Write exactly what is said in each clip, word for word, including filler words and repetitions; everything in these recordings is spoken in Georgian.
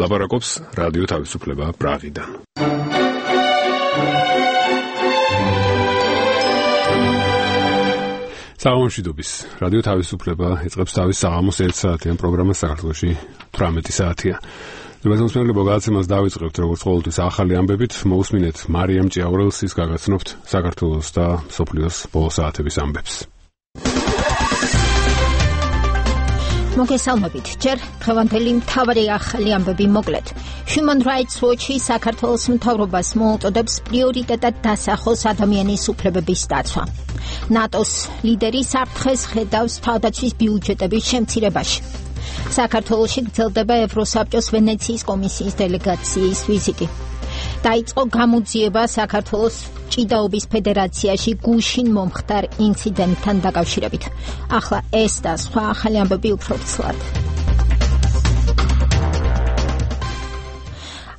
ლაპარაკობს რადიო თავისუფლება პრაღიდან. საღამომშვიდობის რადიო თავისუფლება იწყებს თავის საღამოს ერთ საათიან პროგრამას საქართველოში თვრამეტი საათია. მოგესალმებით, მოგაცემას დავიწყებთ როგორც ყოველთვის ახალი ამბებით, მოусმინეთ მარიამ ჭიაურელსის გაგაცნობთ საქართველოს და სოფლიოს ბოლო საათების ამბებს. მოგესალმებით, ჯერ დღევანდელი მთავარი ახალი ამბები მოკლედ. Human Rights Watch-ი საქართველოს მთავრობას მოუწოდებს პრიორიტეტად დასახოს ადამიანის უფლებების დაცვა. ნატოს ლიდერი საფრთხეს ხედავს თავდაცვის ბიუჯეტების შემცირებაში. საქართველოში გრძელდება ევროსაბჭოს ვენეციის კომისიის დელეგაციის ვიზიტი. დაიწყო გამოძიება საქართველოს ჭიდაობის ფედერაციაში გუშინ მომხდარ ინციდენტთან დაკავშირებით. ახლა ეს და სხვა ახალი ამბები უფრო ცლად.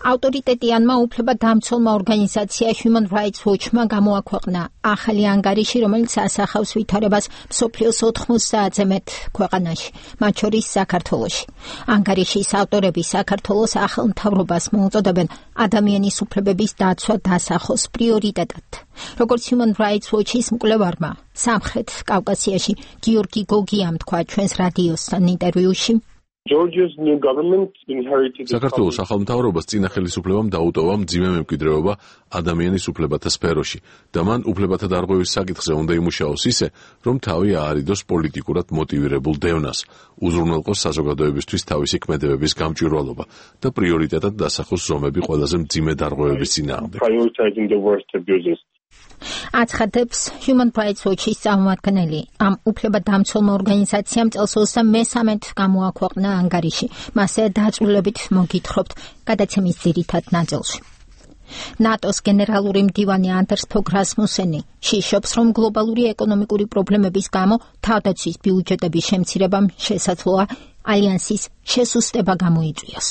ავტორიტეტიანმა უფლებადამცველმა ორგანიზაცია Human Rights Watch-მა გამოაქვეყნა ახალი ანგარიში, რომელიც ასახავს ვითარებას მსოფლიოს ოთხმოცდაათზე მეტ ქვეყანაში, მათ შორის საქართველოში. ანგარიშის ავტორები საქართველოს ახალ მთავრობას მოუწოდებენ ადამიანის უფლებების დაცვა დასახოს პრიორიტეტად. როგორც Human Rights Watch-ის მკვლევარმა სამხრეთ კავკასიაში გიორგი გოგიამ თქვა ჩვენს რადიოსთან ინტერვიუში, საქართველოს ახალ მთავრობას წინა ხელისუფლებამ დაუტოვა მძიმე მემკვიდრეობა ადამიანის უფლებათა სფეროში და მან უფლებათა დარღვევის საკითხზე უნდა იმუშაოს ისე, რომ თავი აარიდოს პოლიტიკურად მოტივირებულ დევნას, უზრუნველყოს საზოგადოებისთვის თავისი ქმედებების გამჭვირვალობა და პრიორიტეტად დასახოს ზომები ყველაზე მძიმე დარღვევების წინააღმდეგ. აცხადებს Human Rights Watch-ის წარმომადგენელი. ამ უფლებადამცველმა ორგანიზაციამ წელს ოცდამესამედ გამოაქვეყნა ანგარიში. მასზე დაწვრილებით მოგითხრობთ გადაცემის ძირითად ნაწილში. ნატოს გენერალური მდივანი ანდერს ფოგ რასმუსენი შიშობს, რომ გლობალური ეკონომიკური პრობლემების გამო თავდაცვის ბიუჯეტების შემცირებამ შესაძლოა ალიანსის შესუსტება გამოიწვიოს.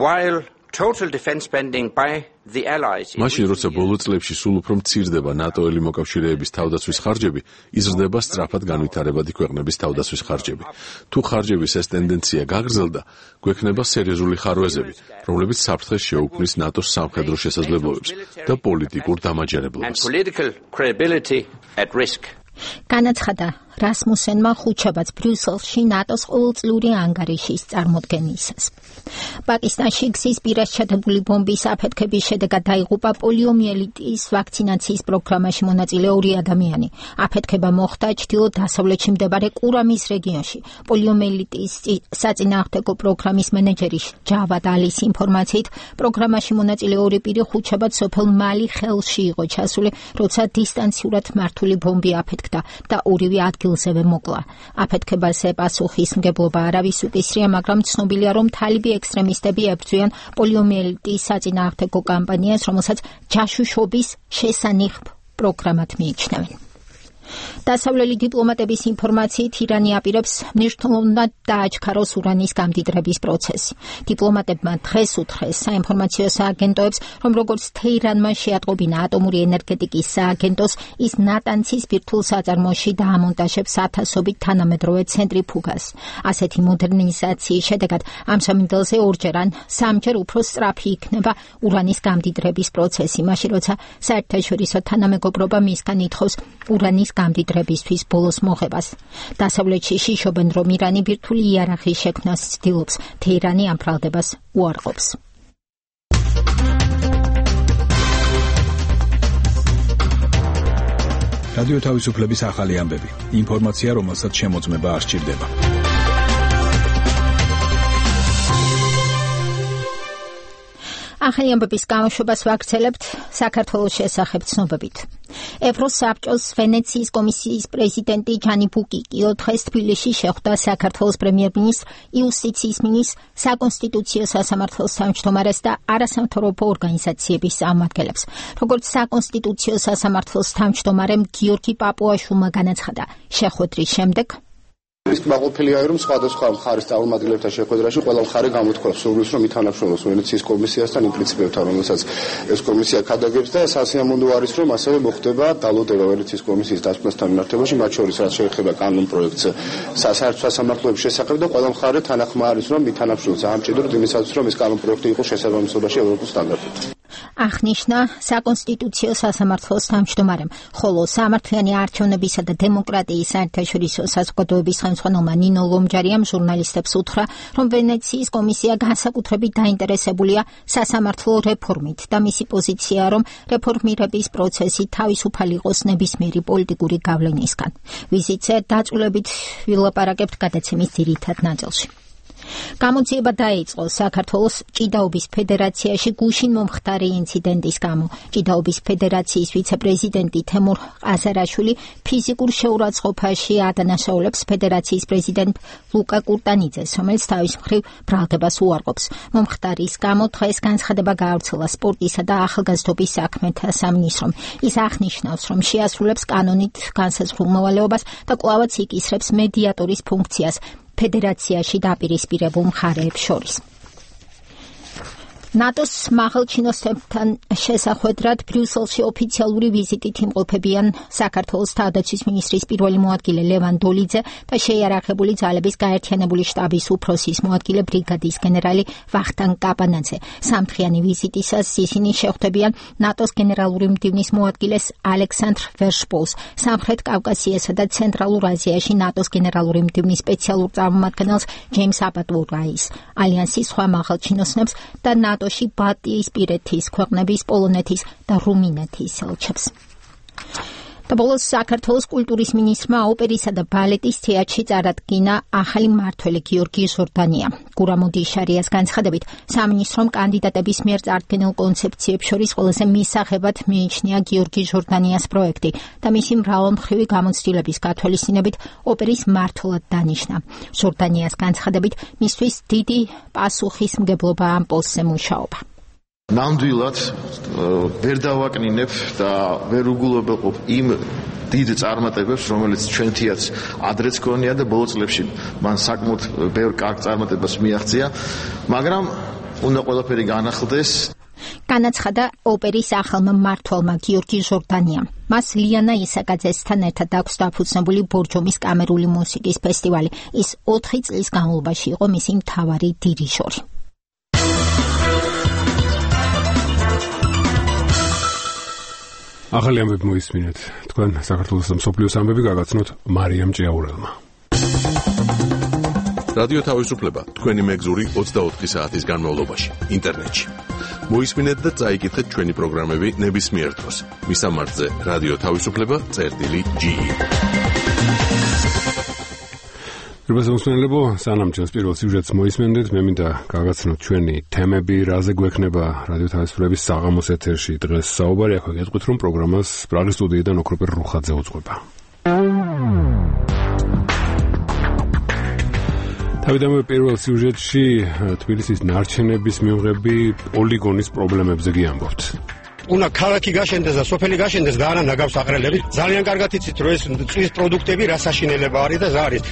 While total defense spending by the allies მაშინ როცა ბოლო წლებში სულ უფრო მცირდება ნატოელი მოკავშირეების თავდაცვის ხარჯები, იზრდება სწრაფად განვითარებადი ქვეყნების თავდაცვის ხარჯები. თუ ხარჯების ეს ტენდენცია გაგრძელდა, გვექნება სერიოზული ხარვეზები, რომლებიც საფრთხეს შეუქმნის ნატოს სამხედრო შესაძლებლობებს და პოლიტიკურ დამაჯერებლობას. განაცხადა რასმუსენმა ხუთშაბათს ბრიუსელში ნატოს ყოველწლიური ანგარიშის წარმოდგენისას. პაკისტანში გზის პირას ჩადებული ბომბის აფეთქების შედეგად დაიღუპა პოლიომიელიტის ვაქცინაციის პროგრამაში მონაწილე ორი ადამიანი. აფეთქება მოხდა ჩრდილო-დასავლეთში მდებარე კურამის რეგიონში. პოლიომიელიტის საწინააღმდეგო პროგრამის მენეჯერი ჯავად ალის ინფორმაციით, პროგრამაში მონაწილე ორი პირი ხუთშაბათს სოფელ მალი ხელში იყო ჩასული, როცა დისტანციურად მართული ბომბი აფეთქდა და ორივე ადგილზევე მოკლა. აფეთქებაზე პასუხისმგებლობა არავის უკისრია, მაგრამ ცნობილია, რომ თალიბი ექსტრემისტები ებრძვიან პოლიომიელიტის საწინააღმდეგო კამპანიას, რომელსაც ჯაშუშობის შესანიხ პროგრამად მიიჩნევენ. დასავლელი დიპლომატების ინფორმაციით ირანი აპირებს მნიშვნელოვნად დააჩქაროს ურანის გამდიდრების პროცესი. დიპლომატებმა დღეს უთხრეს საინფორმაციო სააგენტოებს, რომ როგორც თეირანმა შეატყობინა ატომური ენერგეტიკის სააგენტოს, ის ნატანცის ბირთვულ საწარმოში დაამონტაჟებს ათასობით თანამედროვე ცენტრიფუგას. ასეთი მოდერნიზაციის შედეგად ამ სამინდელზე ორჯერ ან სამჯერ უფრო სწრაფი იქნება ურანის გამდიდრების პროცესი, მაშინ როცა საერთაშორისო თანამეგობრობა მისგან ითხოვს ურანის გამდიდრებისთვის ბოლოს მოღებას. დასავლეთში შიშობენ, რომ ირანი ბირთვული იარაღის შექმნას ცდილობს, თეირანი ამ ბრალდებას უარყოფს. რადიო თავისუფლების ახალი ამბები. ინფორმაცია, რომელსაც შემოწმება არ სჭირდება. ახალი ამბების გამოშვებას ვაგრძელებთ საქართველოს შესახებ ცნობებით. ევროსაბჭოს ვენეციის კომისიის პრეზიდენტი ჯანი ბუკიკიო დღეს თბილისში შეხვდა საქართველოს პრემიერ-მინისტრ იუსტიციის მინისტრ, საკონსტიტუციო სასამართლოს თავმჯდომარეს და არასამთავრობო ორგანიზაციების წარმომადგენლებს. როგორც საკონსტიტუციო სასამართლოს თავმჯდომარემ გიორგი პაპუაშვილმა განაცხადა, შეხვედრის შემდეგ ის კმაყოფილია რომ სხვადასხვა მხარის წარმომადგენლებთან შეხვედრაში ყველა მხარე გამოთქვამს სურვილს რომ ითანამშრომლოს ვენეციის კომისიასთან იმ პრინციპებთან რომელსაც ეს კომისია ქადაგებს და სასიამოვნო არის რომ ასევე მოხდება დალოდება ვენეციის კომისიის დასკვნასთან მიმართებაში მათ შორის რაც შეეხება კანონ პროექტს სასაერთო სასამართლოების შესახებ და ყველა მხარე თანახმა არის რომ ითანამშრომლოს ამ ჭიდროდ იმისათვის რომ ეს კანონ პროექტი იყოს შესაბამისობაში ევროპულ სტანდარტებთან აღნიშნა საკონსტიტუციო სასამართლოს თავმჯდომარემ, ხოლო სამართლიანი არჩევნებისა და დემოკრატიის საერთაშორისო საზოგადოების ხელმძღვანელმა ნინო ლომჯარიამ ჟურნალისტებს უთხრა, რომ ვენეციის კომისია განსაკუთრებით დაინტერესებულია სასამართლო რეფორმით და მისი პოზიციაა, რომ რეფორმირების პროცესი თავისუფალი იყოს ნებისმიერი პოლიტიკური გავლენისგან. ვიზიტზე დაწვრილებით ვილაპარაკებთ გადაცემის ძირითად ნაწილში. გამოძიება დაიწყო საქართველოს ჭიდაობის ფედერაციაში გუშინ მომხდარი ინციდენტის გამო. ჭიდაობის ფედერაციის ვიცე-პრეზიდენტი თემურ ყაზარაშვილი ფიზიკურ შეურაცხყოფაში ადანაშაულებს ფედერაციის პრეზიდენტ ლუკა კურტანიძეს, რომელიც თავის მხრივ ბრალდებას უარყოფს. მომხდარის გამო დღეს განცხადება გაავრცელა სპორტისა და ახალგაზრდობის საქმეთა სამინისტრომ. ის აღნიშნავს, რომ შეასრულებს კანონით განსაზღვრულ მოვალეობას და კვლავაც იკისრებს მედიატორის ფუნქციას ფედერაციაში დაპირისპირებულ მხარეებს შორის. ნატოს მაღალჩინოსნებთან შესახვედრად ბრიუსელში ოფიციალური ვიზიტით იმყოფებიან საქართველოს თავდაცვის მინისტრის პირველი მოადგილე ლევან დოლიძე და შეიარაღებული ძალების გაერთიანებული შტაბის უფროსის მოადგილე ბრიგადის გენერალი ვახტანგ კაპანაძე. სამთვიანი ვიზიტისას ისინი შეხვდებიან ნატოს გენერალური მდივნის მოადგილეს ალექსანდრ ვერშპოლს, სამხრეთ კავკასიასა და ცენტრალურ აზიაში ნატოს გენერალური მდივნის სპეციალურ წარმომადგენელს ჯეიმს აბატურაის, ალიანსის სხვა მაღალჩინოსნებს და ნატოში ბალტიისპირეთის ქვეყნების პოლონეთის და რუმინეთის ელჩებს. და ბოლოს საქართველოს კულტურის მინისტრმა ოპერისა და ბალეტის თეატრში წარადგინა ახალი მმართველი გიორგი ჟორდანია. გურამოდი შარიას განცხადებით, სამინისტრომ კანდიდატების მიერ წარდგენილ კონცეფციებს შორის ყველაზე მისაღებად მიიჩნია გიორგი ჟორდანიას პროექტი და მისი მრავალმხრივი გამოცდილების გათვალისწინებით ოპერის მმართველად დანიშნა. ჟორდანიას განცხადებით, მისთვის დიდი პასუხისმგებლობა ამ პოსტზე მუშაობა. ნამდვილად ვერ დავაკნინებ და ვერ უგულობელყოფ იმ დიდ წარმატებებს, რომელიც ჩვენთიაც ადრეც გქონია და ბოლო წლებში მან საკმაოდ ბევრ კარგ წარმატებას მიაღწია, მაგრამ უნდა ყველაფერი განახლდეს. განაცხადა ოპერის ახალმა მმართველმა გიორგი ჟორდანიამ. მას ლიანა ისაკაძესთან ერთად აქვს დაფუძნებული ბორჯომის კამერული მუსიკის ფესტივალი. ის ოთხი წლის განმავლობაში იყო მისი მთავარი დირიჟორი. ახალი ამბები მოისმინეთ. თქვენ საქართველოს მსოფლიოს ამბები გაგაცნოთ მარიამ ჭიაურელმა. რადიო თავისუფლება თქვენი მეგზური ოცდაოთხი საათის განმავლობაში ინტერნეტში. მოისმინეთ და წაიკითხეთ ჩვენი პროგრამები ნებისმიერ დროს. მისამართზე რადიო თავისუფლება წერტილი ჯი. რიბასამოსმენლებო, სანამ ჩვენს პირველ სიუჟეტს მოისმენდეთ, მე მინდა გაგაცნოთ ჩვენი თემები, რაზე გვექნება რადიო თავისუფლების საღამოს ეთერში. დღეს საუბარი აქვე გეტყვით, რომ პროგრამას პრაღის სტუდიიდან ოქროპერ რუხაძე უძღვება. თავიდანვე პირველ სიუჟეტში თბილისის ნარჩენების მიღები პოლიგონის პრობლემებზე გიამბობთ. უნდა ქალაქი გაშენდეს და სოფელი გაშენდეს და არა ნაგავს აყრელები. ძალიან კარგად იცით, რომ ეს წყლის პროდუქტები რა საშინელება არის და რა არის.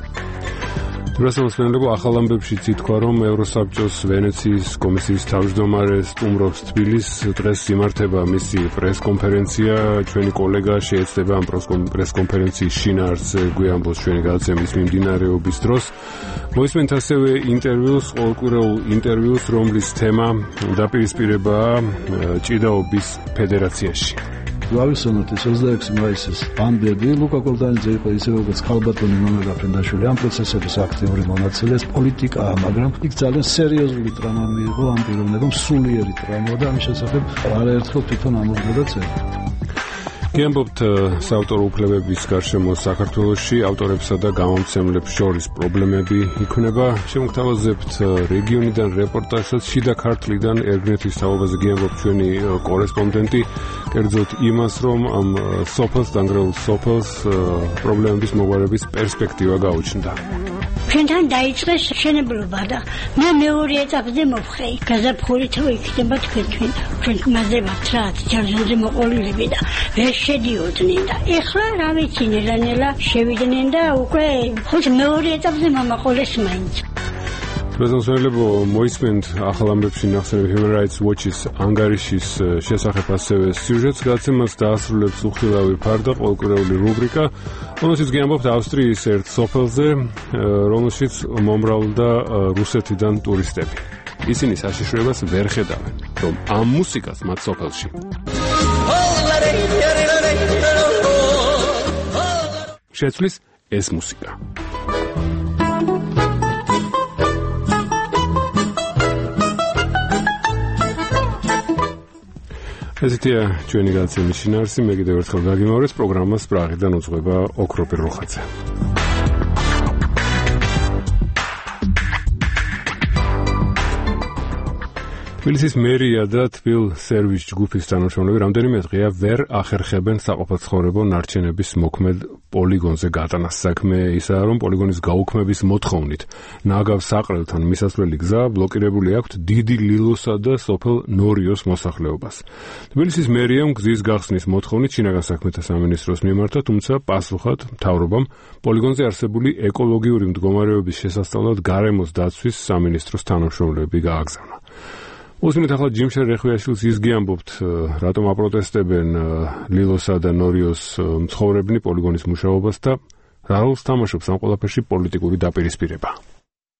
რასამოსმენლებო, ახალ ამბებში ითქვა, რომ ევროსაბჭოს ვენეციის კომისიის თავმჯდომარე სტუმრობს თბილისს. დღეს იმართება მისი პრესკონფერენცია. ჩვენი კოლეგა შეეცდება ამ პრესკონფერენციის შინაარსზე გვიამბოს ჩვენი გადაცემის მიმდინარეობის დროს. მოისმენთ ასევე ინტერვიუს, ყოველკვირეულ ინტერვიუს, რომლის თემა დაპირისპირებაა ჭიდაობის ფედერაციაში. გავიხსენოთ ეს ოცდაექვსი მაისის ამბები. ლუკა კურტანიძე იყო ისე როგორც ქალბატონი ნონა გაფრინდაშვილი ამ პროცესების აქტიური მონაწილე, პოლიტიკაა, მაგრამ იქ ძალიან სერიოზული ტრამა მიიღო ამ პიროვნებამ, სულიერი ტრამა და ამის შესახებ არაერთხელ თვითონ ამოხდა წერა. გიამბობთ საავტორო უფლებების გარშემო საქართველოში ავტორებსა და გამომცემლებს შორის პრობლემები იქნება. შემოგთავაზებთ რეგიონიდან რეპორტაჟსაც შიდა ქართლიდან ერგნეთის თაობაზე გიამბობთ ჩვენი კორესპონდენტი, კერძოდ იმას, რომ ამ სოფელს, დანგრეულ სოფელს პრობლემების მოგვარების პერსპექტივა გაუჩნდა. ჩვენთან დაიწყეს შენებლობა და მე მეორე ეტაპზე მოვხეი. გაზაფხულით იქნება თქვენ ჩვენ მასზე ვართ რა, ჯერჯერობით მოყოლილები და ვერ შედიოდნენ და ეხლა რა ვიცი ნელა-ნელა შევიდნენ და უკვე ხოთი მეორე ეტაპზე მომაყოლეს მაინც. პრეზიდენტებო მოისმენთ ახალ ამბებში ნახსენები Human Rights Watch-ის ანგარიშის შესახებ ასევე სიუჟეტს გაცემას დაასრულებს უხილავი ფარდა ყოველკვირეული რუბრიკა, რომელშიც გიამბობთ ავსტრიის ერთ სოფელზე, რომელშიც მომრავლდა რუსეთიდან ტურისტები. ისინი საშიშროებას ვერ ხედავენ, რომ ამ მუსიკას მათ სოფელში შეცვლის ეს მუსიკა. ესეთია ჩვენი გადაცემის შინაარსი. მე კიდევ ერთხელ გაგიმავრეთ პროგრამას პრაღიდან უძღვება ოქროპი როხაძე. თბილისის მერია და თბილ სერვის ჯგუფის თანამშრომლები რამდენიმე დღეა ვერ ახერხებენ საყოფაცხოვრებო ნარჩენების მოქმედ პოლიგონზე გატანას. საქმე ისაა, რომ პოლიგონის გაუქმების მოთხოვნით ნაგავ საყრელთან მისასვლელი გზა ბლოკირებული აქვთ დიდი ლილოსა და სოფელ ნორიოს მოსახლეობას. თბილისის მერიამ გზის გახსნის მოთხოვნით შინაგან საქმეთა სამინისტროს მიმართა, თუმცა პასუხად მთავრობამ პოლიგონზე არსებული ეკოლოგიური მდგომარეობის შესასწავლად გარემოს დაცვის სამინისტროს თანამშრომლები გააგზავნა. უსმენთ ახლა ჯიმშერ რეხვიაშვილს ის გიამბობთ, რატომ აპროტესტებენ ლილოსა და ნორიოს მცხოვრებნი პოლიგონის მუშაობას და რა როლს თამაშობს ამ ყველაფერში პოლიტიკური დაპირისპირება.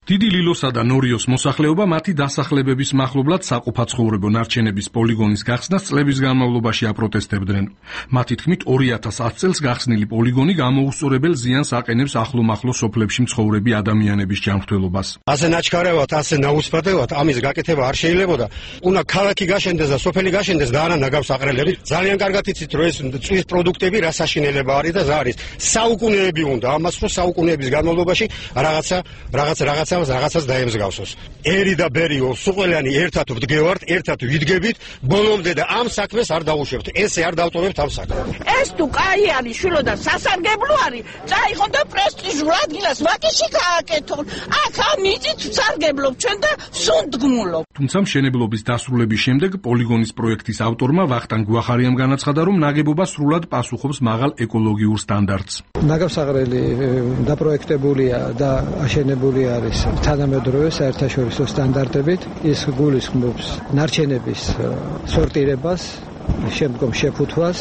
დიდი ლილოსა და ნორიოს მოსახლეობა მათი დასახლებების მახლობლად საყოფაცხოვრებო ნარჩენების პოლიგონის გახსნას წლების განმავლობაში აპროტესტებდნენ. მათი თქმით ორი ათას ათი წელს გახსნილი პოლიგონი გამოუსწორებელ ზიანს აყენებს ახლო-მახლო სოფლებში მცხოვრები ადამიანების ჯანმრთელობას. ასე ნაჩქარევად, ასე ნაუსწრებად ამის გაკეთება არ შეიძლებოდა. უნდა ქალაქი გაშენდეს და სოფელი გაშენდეს და არა ნაგავს აყრელები. ძალიან კარგად იცით, რომ ეს წვის პროდუქტები რა საშინელება არის და ზარის. საუკუნეები უნდა ამას, რომ საუკუნეების განმავლობაში რაღაცა რაღაც რაღაცა რაღაცას დაემსგავსოს. ერი და ბერიო სუყელიანი ერთად ვდგევართ, ერთად ვიდგებით, ბოლომდე და ამ საქმეს არ დავუშვებთ. ესე არ დავტოვებთ ამ საქმეს. ეს თუ კაი არის, შვილო და სასარგებლო არის, წაიღონ და პრესტიჟულ ადგილას ვაკეში გააკეთონ. აქ ამ იწით ვსარგებლობ ჩვენ და სუნდგმულობ. თუმცა მშენებლობის დასრულების შემდეგ პოლიგონის პროექტის ავტორმა ვახტანგ გვახარიამ განაცხადა, რომ ნაგებობა სრულად პასუხობს მაღალ ეკოლოგიურ სტანდარტს. ნაგავსაღრელი დაპროექტებულია და აშენებული არის თანამედროვე საერთაშორისო სტანდარტებით. ის გულისხმობს ნარჩენების სორტირებას, შემდგომ შეფუთვას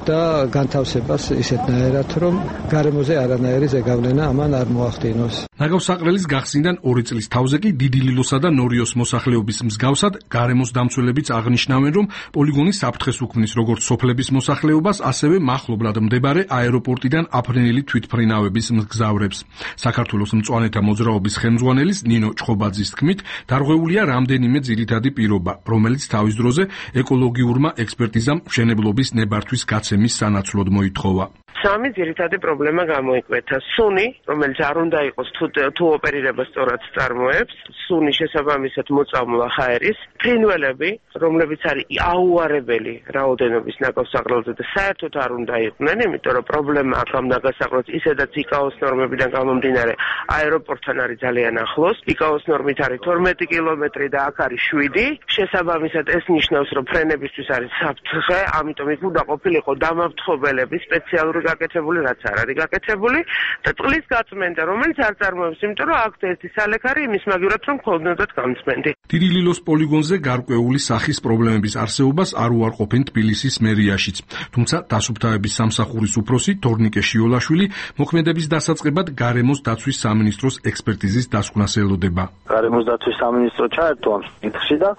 და განთავსებას ისეთნაირად, რომ გარემოზე არანაირი ზეგავლენა ამან არ მოახდინოს. ნაგავსაყრელის გახსნიდან ორი წლის თავზე კი დიდი ლილოსა და ნორიოს მოსახლეობის მსგავსად გარემოს დამცველებიც აღნიშნავენ, რომ პოლიგონი საფრთხეს უქმნის როგორც სოფლების მოსახლეობას, ასევე მახლობლად მდებარე აეროპორტიდან აფრენილი თვითმფრინავების მგზავრებს. საქართველოს მწვანეთა მოძრაობის ხელმძღვანელის ნინო ჭხობაძის თქმით, დარღვეულია რამდენიმე ძირითადი პირობა, რომელიც თავის დროზე ეკოლოგიურმა ექსპერტიზამ მშენებლობის ნებართვის გაცემის სანაცვლოდ მოითხოვა. სამი ძირითადი პრობლემა გამოიკვეთა. სუნი, რომელიც არ უნდა იყოს თუ თუ ოპერირება სწორად წარმოებს, სუნი შესაბამისად მოწამვლა ჰაერის, ფრინველები, რომლებიც არის აუარებელი რაოდენობის ნაგავსაღრელზე და საერთოდ არ უნდა იყვნენ, იმიტომ რომ პრობლემა აქ ამ ნაგავსაღრელს ისედაც იკაოს ნორმებიდან გამომდინარე აეროპორტთან არის ძალიან ახლოს, იკაოს ნორმით არის თორმეტი კილომეტრი და აქ არის შვიდი, შესაბამისად ეს ნიშნავს, რომ ფრენებისთვის არის საფრთხე, ამიტომ იქ უნდა ყოფილიყო დამავთხოველები სპეციალური გაკეთებული, რაც არ არის გაკეთებული და წყლის გაწმენდა, რომელიც არ წარმოებს, იმიტომ რომ აქ ერთი სალექარი იმის მაგივრად რომ ქონდათ გამწმენდი. დიდი ლილოს პოლიგონზე გარკვეული სახის პრობლემების არსებობას არ უარყოფენ თბილისის მერიაშიც. თუმცა დასუფთავების სამსახურის უფროსი თორნიკე შიოლაშვილი მოქმედების დასაწყებად გარემოს დაცვის სამინისტროს ექსპერტიზის დასკვნას ელოდება. გარემოს დაცვის სამინისტრო ჩაერთო ამ საკითხში და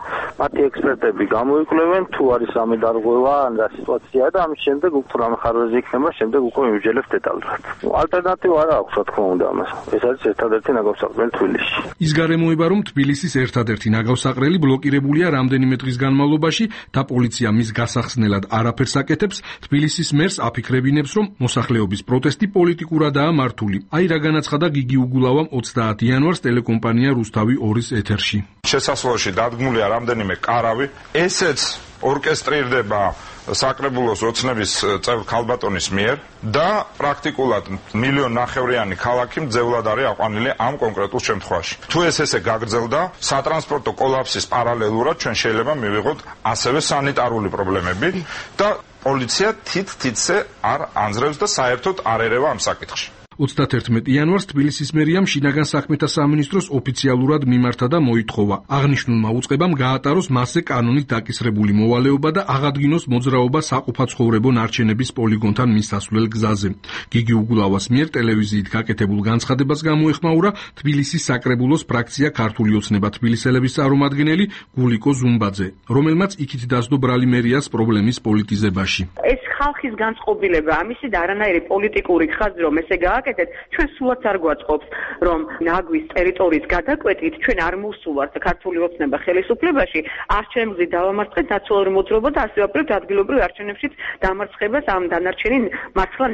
მათი ექსპერტები გამოიკვლევენ თუ არის რამე დარღვევა ან რა სიტუაციაა და ამის შემდეგ უფრო რამე ხარვეზე იქნება, შემდეგ უკვე მივიჯელებს დეტალურად. ალტერნატივა არ აქვს, რა თქმა უნდა ამას. ეს არის ერთადერთი ნაგავსაყრელი თბილისში. ის გარემოება, რომ თბილისის ერთადერთი ნაგავსაყრელი ბლოკირებულია რამდენიმე დღის განმავლობაში და პოლიცია მის გასახსნელად არაფერს აკეთებს, თბილისის მერს აფიქრებინებს, რომ მოსახლეობის პროტესტი პოლიტიკურადაა მართული. აი რა განაცხადა გიგი უგულავამ ოცდაათი იანვარს ტელეკომპანია რუსთავი ორის ეთერში. შესასვლელში დადგმულია რამდენიმე კარავი, ესეც ორკესტრირდება საკრებულოს ოცნების წევრ ქალბატონის მიერ და პრაქტიკულად მილიონ ნახევრიანი ქალაქი მძევლად არის აყვანილი ამ კონკრეტულ შემთხვევაში. თუ ეს ესე გაგრძელდა, სატრანსპორტო კოლაფსის პარალელურად ჩვენ შეიძლება მივიღოთ ასევე სანიტარული პრობლემები და პოლიცია თით-თითზე არ ანძრევს და საერთოდ არ ერევა ამ საკითხში. ოცდაათერთმეტი იანვარს თბილისის მერიამ შინაგან საქმეთა სამინისტროს ოფიციალურად მიმართა და მოითხოვა აღნიშნულმა უწყებამ გაატაროს მასზე კანონით დაკისრებული მოვალეობა და აღადგინოს მოძრაობა საყოფაცხოვრებო ნარჩენების პოლიგონთან მისასვლელ გზაზე. გიგი უგულავას მიერ ტელევიზიით გაკეთებულ განცხადებას გამოეხმაურა თბილისის საკრებულოს ფრაქცია ქართული ოცნება თბილისელების წარმომადგენელი გულიკო ზუმბაძე, რომელმაც იქით დასდო ბრალი მერიას პრობლემის პოლიტიზებაში. ეს ხალხის განწყობილება, ამისი და არანაირი პოლიტიკური ხაზი რომ ესე გააკეთეთ, ჩვენ სულაც არ გვაწყობს, რომ ნაგვის ტერიტორიის გადაკვეთით ჩვენ არ მოვსულართ ქართული ოცნება ხელისუფლებაში, არჩევნებზე დავამარცხეთ ნაციონალური მოძრაობა და ასევე ვაპირებთ ადგილობრივ არჩევნებშიც დამარცხებას ამ დანარჩენი მართლა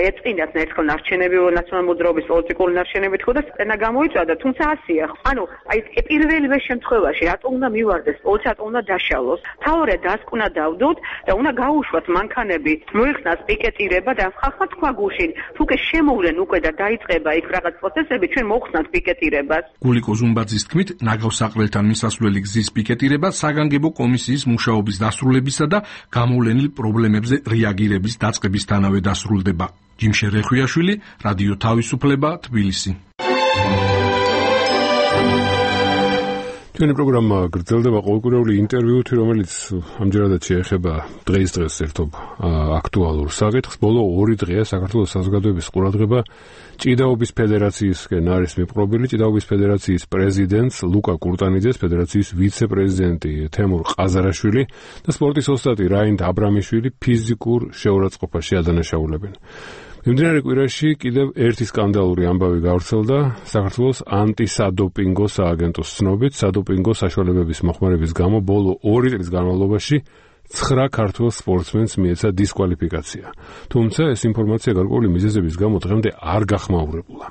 ეწყინათ ერთხელ ნარჩენები ნაციონალური მოძრაობის პოლიტიკური ნარჩენები თქო და წენა გამოიწვია, თუმცა ასია. ანუ აი პირველივე შემთხვევაში რატომ უნდა მივარდეს პოლიცია, რატომ უნდა დაშალოს? თავია დასკვნა დავდოთ და უნდა გაუშვათ მანქანები, მოიხსნას პიკეტირება და ხალხმა თქვა გუშინ, თუ კი შემოვლენ უკვე და დაიწყება იქ რაღაც პროცესები, ჩვენ მოხსნათ პიკეტირებას. გულიკო ზუმბაძის თქმით, ნაგავსაყრელთან მისასვლელი გზის პიკეტირება საგანგებო კომისიის მუშაობის დასრულებისა და გამოვლენილ პრობლემებზე რეაგირების დაწყებისთანავე დასრულდება. ჯიმშე რეხვიაშვილი, რადიო თავისუფლება, თბილისი. ჩვენი პროგრამა გრძელდება ყოველკვირეული ინტერვიუთი, რომელიც ამჯერადაც შეეხება დღეს-დღეს ერთობ აქტუალურ საკითხს. ბოლო ორი დღეა საქართველოს საზოგადოების ყურადღება ჭიდაობის ფედერაციისკენ არის მიპყრობილი. ჭიდაობის ფედერაციის პრეზიდენტს ლუკა კურტანიძეს, ფედერაციის ვიცე-პრეზიდენტი თემურ ყაზარაშვილი და სპორტის ოსტატი რაინდ აბრამიშვილი ფიზიკურ შეურაცხყოფაში ადანაშაულებენ. მიმდინარე კვირაში კიდევ ერთი სკანდალური ამბავი გავრცელდა. საქართველოს ანტისადოპინგო სააგენტოს ცნობით, სადოპინგო საშუალებების მოხმარების გამო ბოლო ორი წლის განმავლობაში ცხრა ქართველ სპორტსმენს მიეცა დისკვალიფიკაცია. თუმცა ეს ინფორმაცია გარკვეული მიზეზების გამო დღემდე არ გახმაურებულა.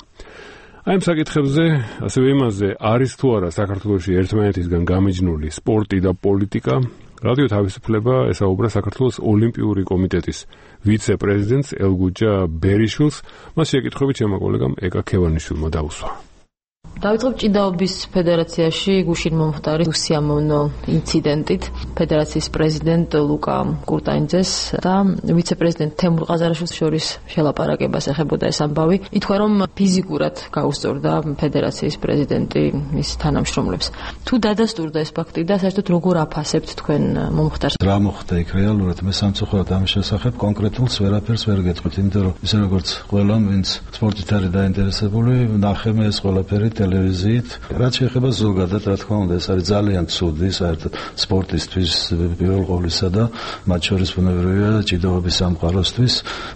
აი ამ საკითხებზე, ასევე იმაზე, არის თუ არა საქართველოში ერთმანეთისგან გამიჯნული სპორტი და პოლიტიკა, რადიო თავისუფლება ესაუბრა საქართველოს ოლიმპიური კომიტეტის ვიცე-პრეზიდენტს ელგუჯა ბერიშვილს. მას შეკითხვებით ჩემმა კოლეგამ ეკა ქევანიშვილმა დაუსვა. დავიწყებ ჭიდაობის ფედერაციაში გუშინ მომხდარი უსიამოვნო ინციდენტით ფედერაციის პრეზიდენტ ლუკა კურტანიძეს და ვიცე-პრეზიდენტ თემურ ყაზარაშვილს შორის შელაპარაკებას ეხებოდა ეს ამბავი. ითქვა, რომ ფიზიკურად გაუსწორდა ფედერაციის პრეზიდენტი მის თანამშრომლებს. თუ დადასტურდა ეს ფაქტი და საერთოდ როგორ აფასებთ თქვენ მომხდარს? რა მოხდა იქ რეალურად მე სამწუხაროდ ამის შესახებ კონკრეტულს ვერაფერს ვერ გეტყვით, იმიტომ რომ ისე როგორც ყველამ, ვინც სპორტით არის დაინტერესებული, ნახე მე ეს ყველაფერი ტელევიზიით. რაც შეეხება ზოგადად, რა თქმა უნდა, ეს არის ძალიან ცუდი საერთოდ სპორტისთვის პირველ ყოვლისა და მათ შორის ბუნებრივია ჭიდაობის სამყაროსთვის.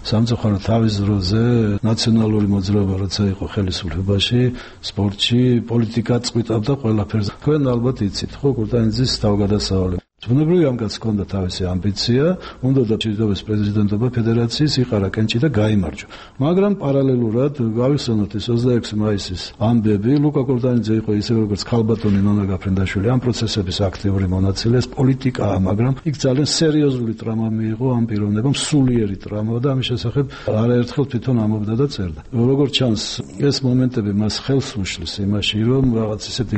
სამწუხაროდ თავის დროზე ნაციონალური მოძრაობა როცა იყო ხელისუფლებაში, სპორტში პოლიტიკა წყვიტავდა ყველაფერს. თქვენ ალბათ იცით, ხო, კურტანიძის თავგადასავალი. ბუნებრივია ამ კაცს ჰქონდა თავისი ამბიცია, უნდა და ჭიდაობის პრეზიდენტობა ფედერაციის იყარა კენჭი და გაიმარჯვა. მაგრამ პარალელურად გავიხსენოთ ეს ოცდაექვსი მაისის ამბები, ლუკა კურტანიძე იყო ისე როგორც ქალბატონი ნონა გაფრინდაშვილი ამ პროცესების აქტიური მონაწილე, ეს პოლიტიკაა, მაგრამ იქ ძალიან სერიოზული ტრამა მიიღო ამ პიროვნებამ, სულიერი ტრამა და ამის შესახებ არაერთხელ თვითონ ამბობდა და წერდა. როგორც ჩანს, ეს მომენტები მას ხელს უშლის იმაში, რომ რაღაც ისეთი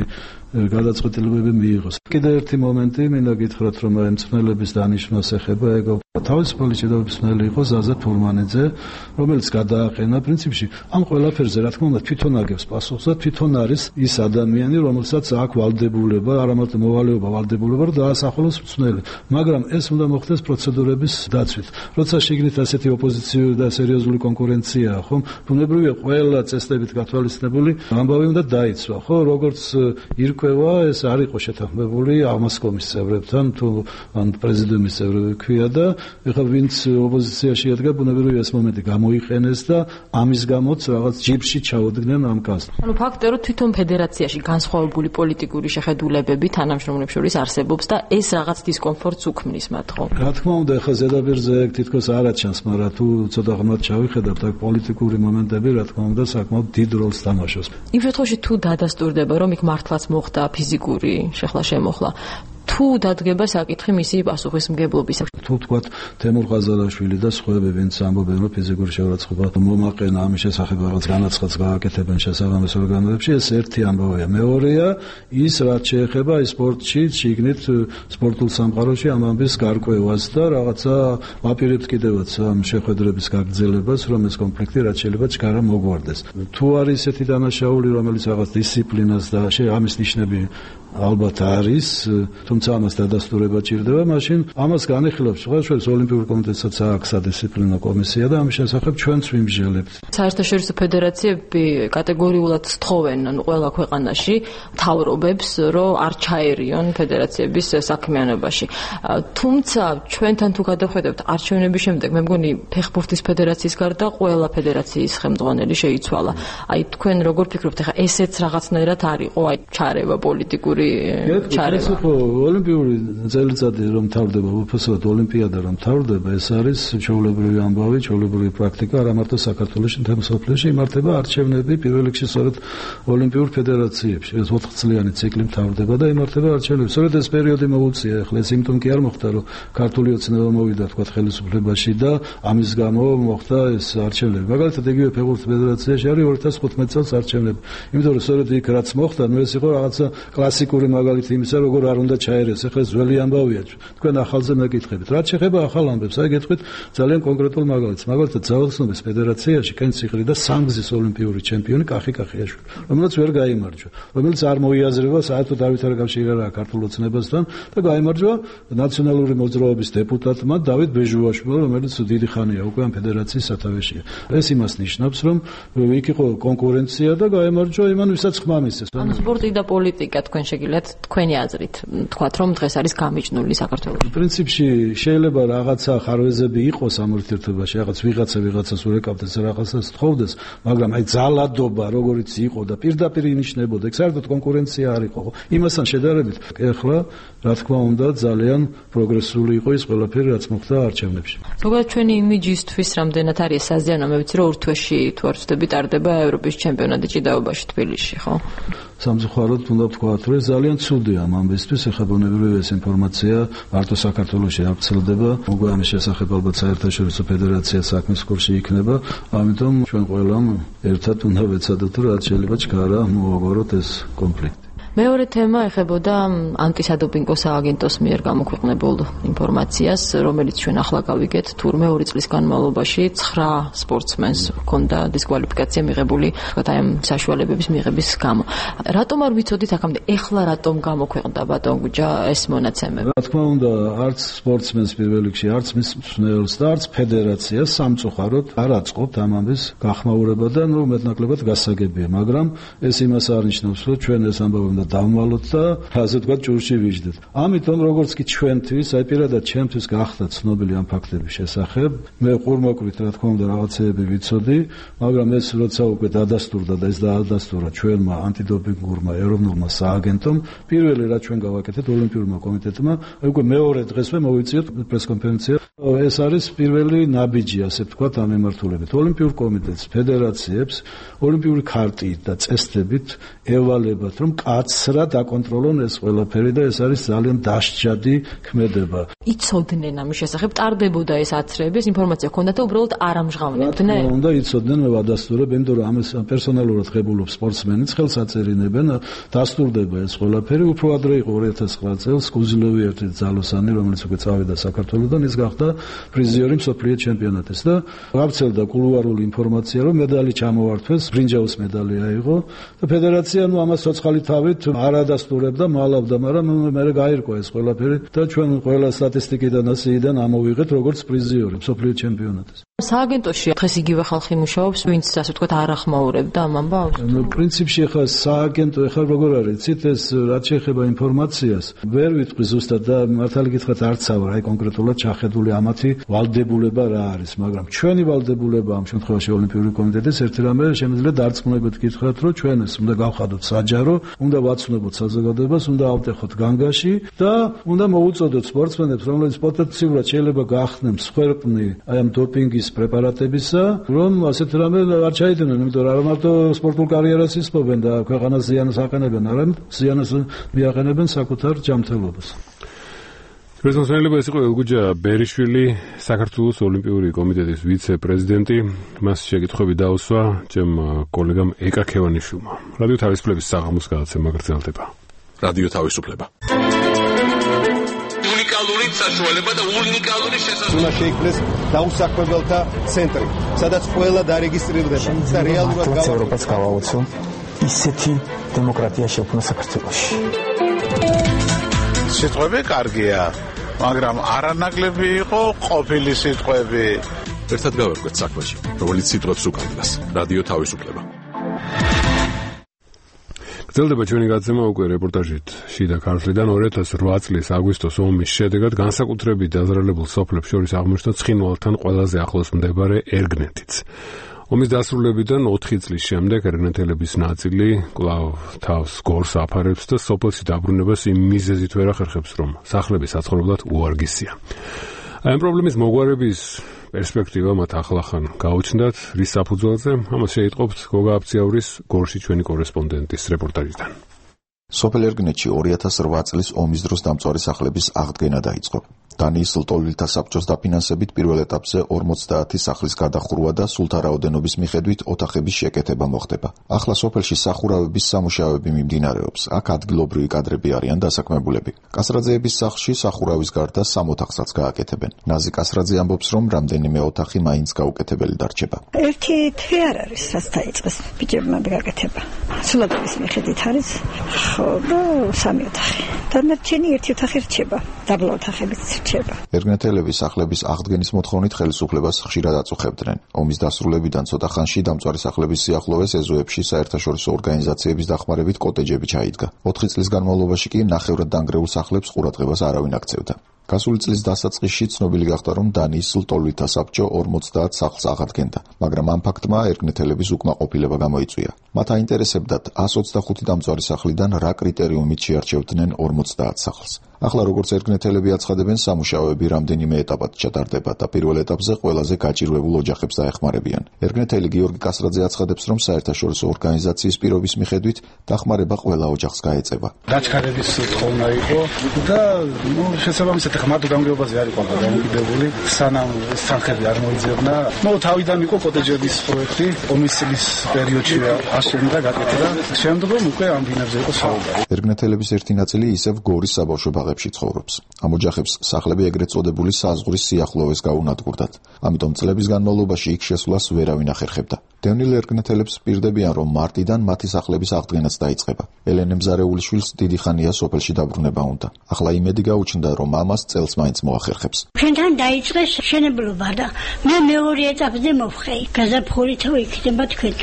გადაწყვეტილებები მიიღოს. კიდევ ერთი მომენტი მინდა გითხრათ, რომ მწვრთნელების დანიშვნას ეხება, ეგ თავისუფალი ჭიდაობის მწვრთნელი იყო ზაზა თურმანიძე, რომელიც გადააყენა პრინციპში ამ ყველაფერზე, რა თქმა უნდა, თვითონ აგებს პასუხს და თვითონ არის ის ადამიანი, რომელსაც აქვს ვალდებულება, არა მარტო მოვალეობა, ვალდებულება, რომ დაასახელოს მწვრთნელი. მაგრამ ეს უნდა მოხდეს პროცედურების დაცვით. როცა შიგნით ასეთი ოპოზიციური და სერიოზული კონკურენციაა, ხო? ბუნებრივია ყველა წესდებით გათვალისწინებული ამბავი უნდა დაიცვა, ხო? როგორც ირკვევა, ეს არ იყო შეთანხმებული აღმასკომის წევრებთან, თუ ან პრეზიდენტის წევრები ქვია და ეხლა ვინც ოპოზიციაში ედგა, ბუნებრივია ეს მომენტი გამოიყენეს და ამის გამოც რაღაც ჯიბში ჩაუდგნენ ამ კაცს. ანუ ფაქტია, რომ თვითონ ფედერაციაში განსხვავებული პოლიტიკური შეხედულებები თანამშრომლებს შორის არსებობს და ეს რაღაც დისკომფორტს უქმნის მათ, ხო? რა თქმა უნდა, ეხლა ზედაპირზე ეგ თითქოს არ აჩანს, მაგრამ თუ ცოტა ღრმად ჩავიხედავთ, აქ პოლიტიკური მომენტები, რა თქმა უნდა, საკმაოდ დიდ როლს თამაშობს. იმ შემთხვევაში თუ დადასტურდება, რომ იქ მართლაც მოხდა ფიზიკური შეხლა-შემოხლა, თუ დადგება საკითხი მისი პასუხისმგებლობის. თუ თქვა თემურ ყაზარაშვილი და სხვაები, ვინც ამბობენ, რომ ფიზიკური შეურაცხყოფა მომაყენა ამის შესახებ რაღაც განაცხადს გააკეთებენ შესაბამის ორგანოებში, ეს ერთი ამბავია. მეორეა ის, რაც შეეხება სპორტში, შიგნით სპორტულ სამყაროში ამ ამბის გარკვევას და რაღაცა ვაპირებთ კიდევაც ამ შეხვედრების გაგრძელებას, რომ ეს კონფლიქტი რაც შეიძლება ჩქარა მოგვარდეს. თუ არის ესეთი დანაშაული, რომელიც რაღაც დისციპლინას და ამის ნიშნები ალბათ არის, თუმცა ამას დადასტურება ჭირდება, მაშინ ამას განიხილავს სხვადასხვა ოლიმპიურ კომიტეტსაც აქვს სადისციპლინო კომისია და ამის შესახებ ჩვენც ვიმსჯელებთ. საერთაშორისო ფედერაციები კატეგორიულად სთხოვენ ყველა ქვეყანაში მთავრობებს, რომ არ ჩაერიონ ფედერაციების საქმიანობაში. თუმცა ჩვენთან თუ გადავხედავთ არჩევნების შემდეგ, მე მგონი ფეხბურთის ფედერაციის გარდა ყველა ფედერაციის ხელმძღვანელი შეიცვალა. აი თქვენ როგორ ფიქრობთ, ეხლა ესეც რაღაცნაირად არისო, აი ჩარევა პოლიტიკური ჩარევა. ოლიმპიური წელიწადი რომ მთავრდება, უბრალოდ ოლიმპიადა რომ მთავრდება, ეს არის ჩვეულებრივი ამბავი, ჩვეულებრივი პრაქტიკა, არა მარტო საქართველოში, მთელ მსოფლიოში იმართება არჩევნები პირველ რიგში სწორედ ოლიმპიურ ფედერაციებში. ეს ოთხწლიანი ციკლი მთავრდება და იმართება არჩევნები. სწორედ ეს პერიოდი მოუწია, ახლა ეს იმტომ კი არ მოხდა, რომ ქართული ოცნება მოვიდა თქვა ხელისუფლებაში და ამის გამო მოხდა ეს არჩევნები. მაგალითად, იგივე ფეხბურთის ფედერაციაში არის ორი ათას ხუთმეტი წელს არჩევნები. იმიტომ რომ სწორედ იქ რაც მოხდა, ნუ ეს იყო რაღაცა კლასიკური მაგალითი იმისა, როგორ არ უნდა ჩაერეს. ახლა ძველი ამბავია. თქვენ ახალზე მეკითხებით. რაც შეეხება ახალ ამბებს, აი გეტყვით ძალიან კონკრეტულ მაგალითს. მაგალითად, ძალოსნობის ფედერაციაში კენციხლი და სამგზის ოლიმპიური ჩემპიონი კახი კახიაშვილი, რომელიც ვერ გაიმარჯვა, რომელიც არ მოიაზრება საერთოდ არავითარი კავშირი არ აქვს ქართულ ოცნებასთან და გაიმარჯვა ნაციონალური მოძრაობის დეპუტატმა დავით ბეჟუაშვილმა, რომელიც დიდი ხანია უკვე ამ ფედერაციის სათავეშია. ეს იმას ნიშნავს, რომ იქ იყო კონკურენცია და გაიმარჯვა იმან, ვისაც ხმა მისცეს. ანუ სპორტი და პოლიტიკა თქვენ შეგიძლიათ თქვენი აზრით თქვათ, რომ დღეს არის გამიჯნული საქართველოში. პრინციპში შეიძლება რაღაცა ხარვეზები იყოს ამ ურთიერთობაში, რაღაც ვიღაცა ვიღაცას ურეკავდეს, რაღაცას თხოვდეს, მაგრამ აი ძალადობა როგორიც იყო და პირდაპირ ინიშნებოდა, ეგ საერთოდ კონკურენცია არ იყო. იმასთან შედარებით, ეხლა რა თქმა უნდა ძალიან პროგრესული იყო ის ყველაფერი, რაც მოხდა არჩევნებში. ზოგადად ჩვენი იმიჯისთვის რამდენად არის საზიანო, მე ვიცი რომ ორ თვეში თუ არ ვცდები ტარდება ევროპის ჩემპიონატი ჭიდაობაში თბილისში, ხო? სამწუხაროდ უნდა ვთქვათ, რომ ძალიან ცუდია ამ ამბისთვის, ეხლა ბუნებრივია ეს ინფორმაცია მარტო საქართველოში არ ვრცელდება, უკვე ამის შესახებ ალბათ საერთაშორისო ფედერაცია საქმის კურსში იქნება, ამიტომ ჩვენ ყველამ ერთად უნდა ვეცადოთ, რომ რაც შეიძლება ჩქარა მოვაგვაროთ ეს კონფლიქტი. მეორე თემა ეხებოდა ანტისადოპინგო სააგენტოს მიერ გამოქვეყნებულ ინფორმაციას, რომელიც ჩვენ ახლა გავიგეთ, თურმე ორი წლის განმავლობაში ცხრა სპორტსმენს ჰქონდა დისკვალიფიკაცია მიღებული, თქვათ აი ამ საშუალებების მიღების გამო. რატომ არ ვიცოდით აქამდე, ეხლა რატომ გამოქვეყნდა ბატონ გუჯა ეს მონაცემები? რა თქმა უნდა, არც სპორტსმენს პირველ რიგში, არც მის მსმენელს და არც ფედერაციას სამწუხაროდ არ აწყობთ ამ ამბის გახმაურება და ნუ მეტნაკლებად გასაგებია, მაგრამ ეს იმას არ ნიშნავს, რომ ჩვენ ეს ამბავი უნდა დავმალოთ და ასე თქვა ჭურში ვიждდეთ. ამიტომ როგორც კი ჩვენთვის, აი პირადად ჩემთვის გახდა ცნობილი ამ ფაქტების შესახებ, მე ყურმოკვით რა თქმა უნდა რაღაცეები ვიცოდი, მაგრამ ეს როცა უკვე დადასტურდა და ეს დაადასტურა ჩვენმა ანტიდოპინგურმა ეროვნულმა სააგენტომ, პირველი რაც ჩვენ გავაკეთეთ ოლიმპიურმა კომიტეტმა, აი უკვე მეორე დღესვე მოვიწიოთ პრესკონფერენცია. ეს არის პირველი ნაბიჯი, ასე ვთქვათ, ამ მიმართულებით. ოლიმპიურ კომიტეტს, ფედერაციებს ოლიმპიური ქარტიით და წესდებით ევალებათ, რომ კაცრად აკონტროლონ ეს ყველაფერი და ეს არის ძალიან დასჯადი ქმედება. იცოდნენ ამის შესახებ, ტარდებოდა ეს აცრეები, ეს ინფორმაცია ჰქონდათ და უბრალოდ არ ამჟღავნებდნენ. რა უნდა იცოდნენ, მე ვადასტურებ, იმიტომ რომ ამას პერსონალურად ღებულობს სპორტსმენიც, ხელს აწერინებენ, დასტურდება ეს ყველაფერი. უფრო ადრე იყო ორი ათას ცხრა წელს კუზილოვი ერთი ძალოსანი, რომელიც უკვე წავიდა საქართველოდან, ის გახდა პრიზიორი მსოფლიო ჩემპიონატის და გავრცელდა კულუარული ინფორმაცია, რომ მედალი ჩამოვართვეს, ბრინჯაოს მედალი აიღო და ფედერაცია ნუ ამას ცოცხალი თავით არ ადასტურებდა, მალავდა, მაგრამ მე გაირკვა ეს ყველაფერი და ჩვენ ყველა სტატისტიკიდან ასეიდან ამოვიღეთ როგორც პრიზიორი მსოფლიო ჩემპიონატის. სააგენტოში დღეს იგივე ხალხი მუშაობს, ვინც ასე ვთქვათ არ ახმაურებდა ამ ამბავს? ნუ პრინციპში ხა სააგენტო ხა როგორ არის, ცით ეს რაც შეეხება ინფორმაციას, ვერ ვიტყვი ზუსტად და მართალი გითხრათ არც ავარ, აი კონკრეტულად ჩახედული ამათი ვალდებულება რა არის, მაგრამ ჩვენი ვალდებულება ამ შემთხვევაში ოლიმპიური კომიტეტის ერთი რამე შემიძლია დარწმუნებით გითხრათ, რომ ჩვენ ეს უნდა გავხადოთ საჯარო, უნდა ვაცნობოთ საზოგადოებას, უნდა ავტეხოთ განგაში და უნდა მოუწოდოთ სპორტსმენებს, რომლებიც პოტენციურად შეიძლება გახდნენ მსხვერპლი აი ამ დოპინგის ჭიების პრეპარატებისა, რომ ასეთ რამე არ ჩაიდინონ, იმიტომ რომ არა მარტო სპორტულ კარიერას ისწობენ და ქვეყანას ზიანს აყენებენ, არამედ ზიანს მიაყენებენ საკუთარ ჯანმრთელობას. პრეზიდენტი იყო ელგუჯა ბერიშვილი, საქართველოს ოლიმპიური კომიტეტის ვიცე-პრეზიდენტი. მას შეკითხვები დაუსვა ჩემ კოლეგამ ეკა ქევანიშვილმა. რადიო თავისუფლების საღამოს გადაცემა გრძელდება. რადიო თავისუფლება. უნიკალური საშუალება და უნიკალური შესაძლებლობა. უნდა შეიქმნეს დაუსაქმებელთა ცენტრი, სადაც ყველა დარეგისტრირდება და რეალურად გავა ევროპას გავაოცო ისეთი დემოკრატია შექმნა საქართველოში. სიტყვები კარგია, მაგრამ არანაკლები იყო ყოფილი სიტყვები. ერთად გავერკვეთ საქმეში, რომელიც სიტყვებს უკანდას. რადიო თავისუფლება. გრძელდება ჩვენი გადაცემა უკვე რეპორტაჟით შიდა ქართლიდან. ორი ათას ოთხ წლის აგვისტოს ომის შედეგად განსაკუთრებით დაზარალებულ სოფლებს შორის აღმოჩნდა ცხინვალთან ყველაზე ახლოს მდებარე ერგნეთიც. ომის დასრულებიდან ოთხი წლის შემდეგ ერგნეთელების ნაწილი კვლავ თავს გორს აფარებს და სოფელში დაბრუნებას იმ მიზეზით ვერ ახერხებს, რომ სახლები საცხოვრებლად უარგისია. ამ პრობლემის მოგვარების პერსპექტივა მათ ახლახან გაუჩნდათ, რის საფუძველზე, ამას შეიტყობთ გოგა აფციაურის გორში ჩვენი კორესპონდენტის რეპორტაჟიდან. სოფელ ერგნეთში ორი ათას ოთხ წლის ომის დროს დამწვარი სახლების აღდგენა დაიწყო. დანიის ლტოლვილთა საბჭოს დაფინანსებით პირველ ეტაპზე ორმოცდაათი სახლის გადახურვა და სულთა რაოდენობის მიხედვით ოთახების შეკეთება მოხდება. ახლა სოფელში სახურავების სამუშაოები მიმდინარეობს. აქ ადგილობრივი კადრები არიან დასაქმებულები. კასრაძეების სახლში სახურავის გარდა სამ ოთახსაც გააკეთებენ. ნაზი კასრაძე ამბობს, რომ რამდენიმე ოთახი მაინც გაუკეთებელი დარჩება. ერთი თვე არ არის, რაც დაიწყეს ბიჭებმა გაკეთება. სულადების მიხედვით არის, ხო და სამი ოთახი. დანარჩენი ერთი ოთახი რჩება. დაბლა ოთახებიც ერგნეთელები სახლების აღდგენის მოთხოვნით ხელისუფლებას ხშირად აწუხებდნენ. ომის დასრულებიდან ცოტა ხანში დამწვარი სახლების სიახლოვეს ეზოებში საერთაშორისო ორგანიზაციების დახმარებით კოტეჯები ჩაიდგა. ოთხი წლის განმავლობაში კი ნახევრად დანგრეულ სახლებს ყურადღებას არავინ აქცევდა. გასული წლის დასაწყისში ცნობილი გახდა, რომ დანიის ლტოლვილთა საბჭო ორმოცდაათ სახლს აღადგენდა, მაგრამ ამ ფაქტმა ერგნეთელების უკმაყოფილება გამოიწვია. მათ აინტერესებდათ εκατს ოცდახუთი დამწვარი სახლიდან რა კრიტერიუმით შეარჩევდნენ ორმოცდაათ სახლს. ახლა როგორც ერგნეთელები აცხადებენ, სამუშაოები რამდენიმე ეტაპად ჩატარდება და პირველ ეტაპზე ყველაზე გაჭირვებულ ოჯახებს დაეხმარებიან. ერგნეთელი გიორგი კასრაძე აცხადებს, რომ საერთაშორისო ორგანიზაციის პირობის მიხედვით დახმარება ყველა ოჯახს გაეწევა. დაჩქარების თხოვნა იყო და ნუ შესაბამისად ახლა მარტო გამგეობაზე არ იყო დამოკიდებული, სანამ სახლები არ მოიძებნა. ნუ თავიდან იყო კოტეჯების პროექტი, ომის წლის პერიოდში აშენდა, გაკეთდა. შემდგომ უკვე ამ ბინებზე იყო საუბარი. ერგნეთელების ერთი ნაწილი ისევ გორის საბავშვო ბაღებში ცხოვრობს. ამ ოჯახებს სახლები ეგრეთ წოდებული საზღვრის სიახლოვეს გაუნადგურდათ. ამიტომ წლების განმავლობაში იქ შესვლას ვერავინ ახერხებდა. დევნილ ერგნეთელებს პირდებიან, რომ მარტიდან მათი სახლების აღდგენაც დაიწყება. ელენე მზარეულიშვილს დიდი ხანია სოფელში დაბრუნება უნდა. ახლა იმედი გაუჩნდა, რომ ამას წელს მაინც მოახერხებს. ჩვენთან დაიწყეს შენებლობა და მე მეორე ეტაპზე მოვხეი. გაზაფხულით იქნება თქვენ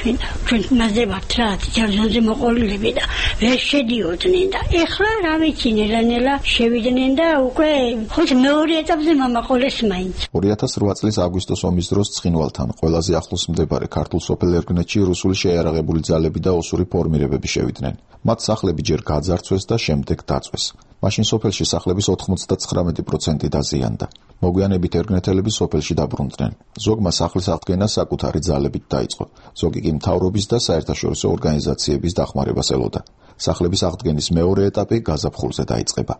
ჩვენ მასზე ვართ რა, ჯერჯერობით მოყოლილები და ვერ შედიოდნენ და ეხლა რა ვიცი ნელა-ნელა შევიდნენ და უკვე ხოც მეორე ეტაპზე მომაყოლეს მაინც. ორი ათას ოთხ წლის აგვისტოს ომის დროს ცხინვალთან ყველაზე ახლოს მდებარე ქართულ სოფელ ერგნეთში რუსული შეიარაღებული ძალები და ოსური ფორმირებები შევიდნენ. მათ სახლები ჯერ გაძარცვეს და შემდეგ დაწვეს. მაშინ სოფელში სახლების ოთხმოცდათხრამეტი პროცენტი დაზიანდა. მოგვიანებით ერგნეთელები სოფელში დაბრუნდნენ. ზოგმა სახლის აღდგენა საკუთარი ძალებით დაიწყო. ზოგი კი მთავრობის და საერთაშორისო ორგანიზაციების დახმარებას ელოდა. სახლების აღდგენის მეორე ეტაპი გაზაფხულზე დაიწყება.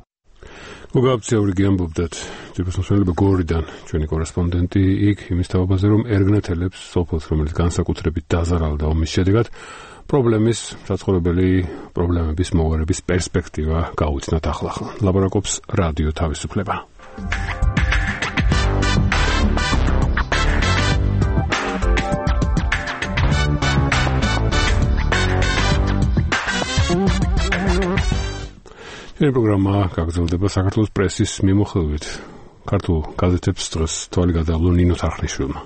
გოგა აფციაური გიამბობდათ ჯერმოსმენელება გორიდან ჩვენი კორესპონდენტი იქ იმის თავაზე, რომ ერგნეთელებს სოფელს, რომელიც განსაკუთრებით დაზარალდა ომის შედეგად, პრობლემის საცხოვრებელი პრობლემების მოგვარების პერსპექტივა გაუჩნდათ ახლახან. ლაბორაკობს რადიო თავისუფლება. ეს პროგრამა გაგრძელდება საქართველოს პრესის მიმოხილვით. ქართულ გაზეთებს დღეს თვალი გადაავლო ნინო თარხნიშვილმა.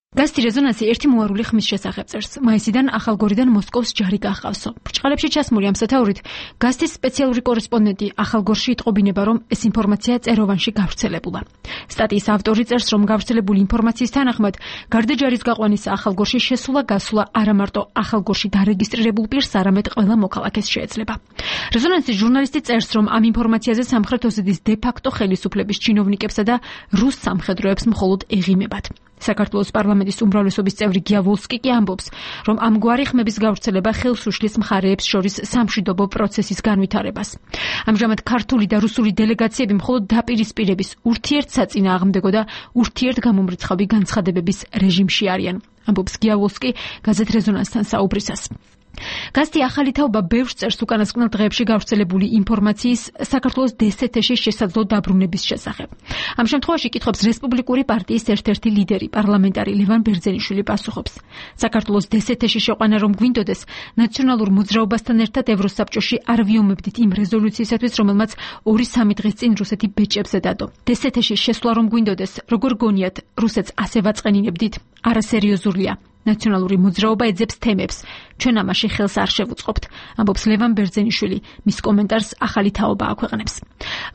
გაზეთი რეზონანსი ერთი მოარული ხმის შესახებ წერს. მაისიდან ახალგორიდან მოსკოვს ჯარი გაჰყავსო. ბრჭყალებში ჩასმული ამ სათაურით გაზეთის სპეციალური კორესპონდენტი ახალგორში იტყობინება, რომ ეს ინფორმაცია წეროვანში გავრცელებულა. სტატიის ავტორი წერს, რომ გავრცელებული ინფორმაციის თანახმად გარდა ჯარის გაყვანისა ახალგორში შესულა-გასულა არა მარტო ახალგორში დარეგისტრირებულ პირს, არამედ ყველა მოქალაქეს შეეძლება. რეზონანსის ჟურნალისტი წერს, რომ ამ ინფორმაციაზე სამხრეთ ოსეთის დე-ფაქტო ხელისუფლების ჩინოვნიკებსა და რუს სამხედროებს მხოლოდ ეღიმებათ. საქართველოს პარლამენტის უმრავლესობის წევრი გიავოლსკი კი ამბობს, რომ ამგვარი ხმების გავრცელება ხელს უშლის მხარეებს შორის სამშვიდობო პროცესის განვითარებას. ამჟამად ქართული და რუსული დელეგაციები მხოლოდ დაპირისპირების, ურთიერთსაწინააღმდეგო და ურთიერთგამომრიცხავი განცხადებების რეჟიმში არიან, ამბობს გიავოლსკი გაზეთ რეზონანსთან საუბრისას. გაზეთი ახალი თაობა ბევრს წერს უკანასკნელ დღეებში გავრცელებული ინფორმაციის საქართველოს დსთ-ში შესაძლო დაბრუნების შესახებ. ამ შემთხვევაში კითხობს რესპუბლიკური პარტიის ერთ-ერთი ლიდერი, პარლამენტარი ლევან ბერძენიშვილი პასუხობს. საქართველოს დსთ-ში შეყვანა რომ გვინდოდეს, ნაციონალურ მოძრაობასთან ერთად ევროსაბჭოში არ ვიომებდით იმ რეზოლუციისათვის, რომელმაც ორი სამი დღის წინ რუსეთი ბეჭებზე დადო. დსთ-ში შესვლა რომ გვინდოდეს, როგორ გონიათ, რუსეთს ასე ვაწყენინებდით? არასერიოზულია. ნაციონალური მოძრაობა ეძებს თემებს. ჩვენ ამაში ხელს არ შევუწყობთ, ამბობს ლევან ბერძენიშვილი, მის კომენტარს ახალი თაობა აქვეყნებს.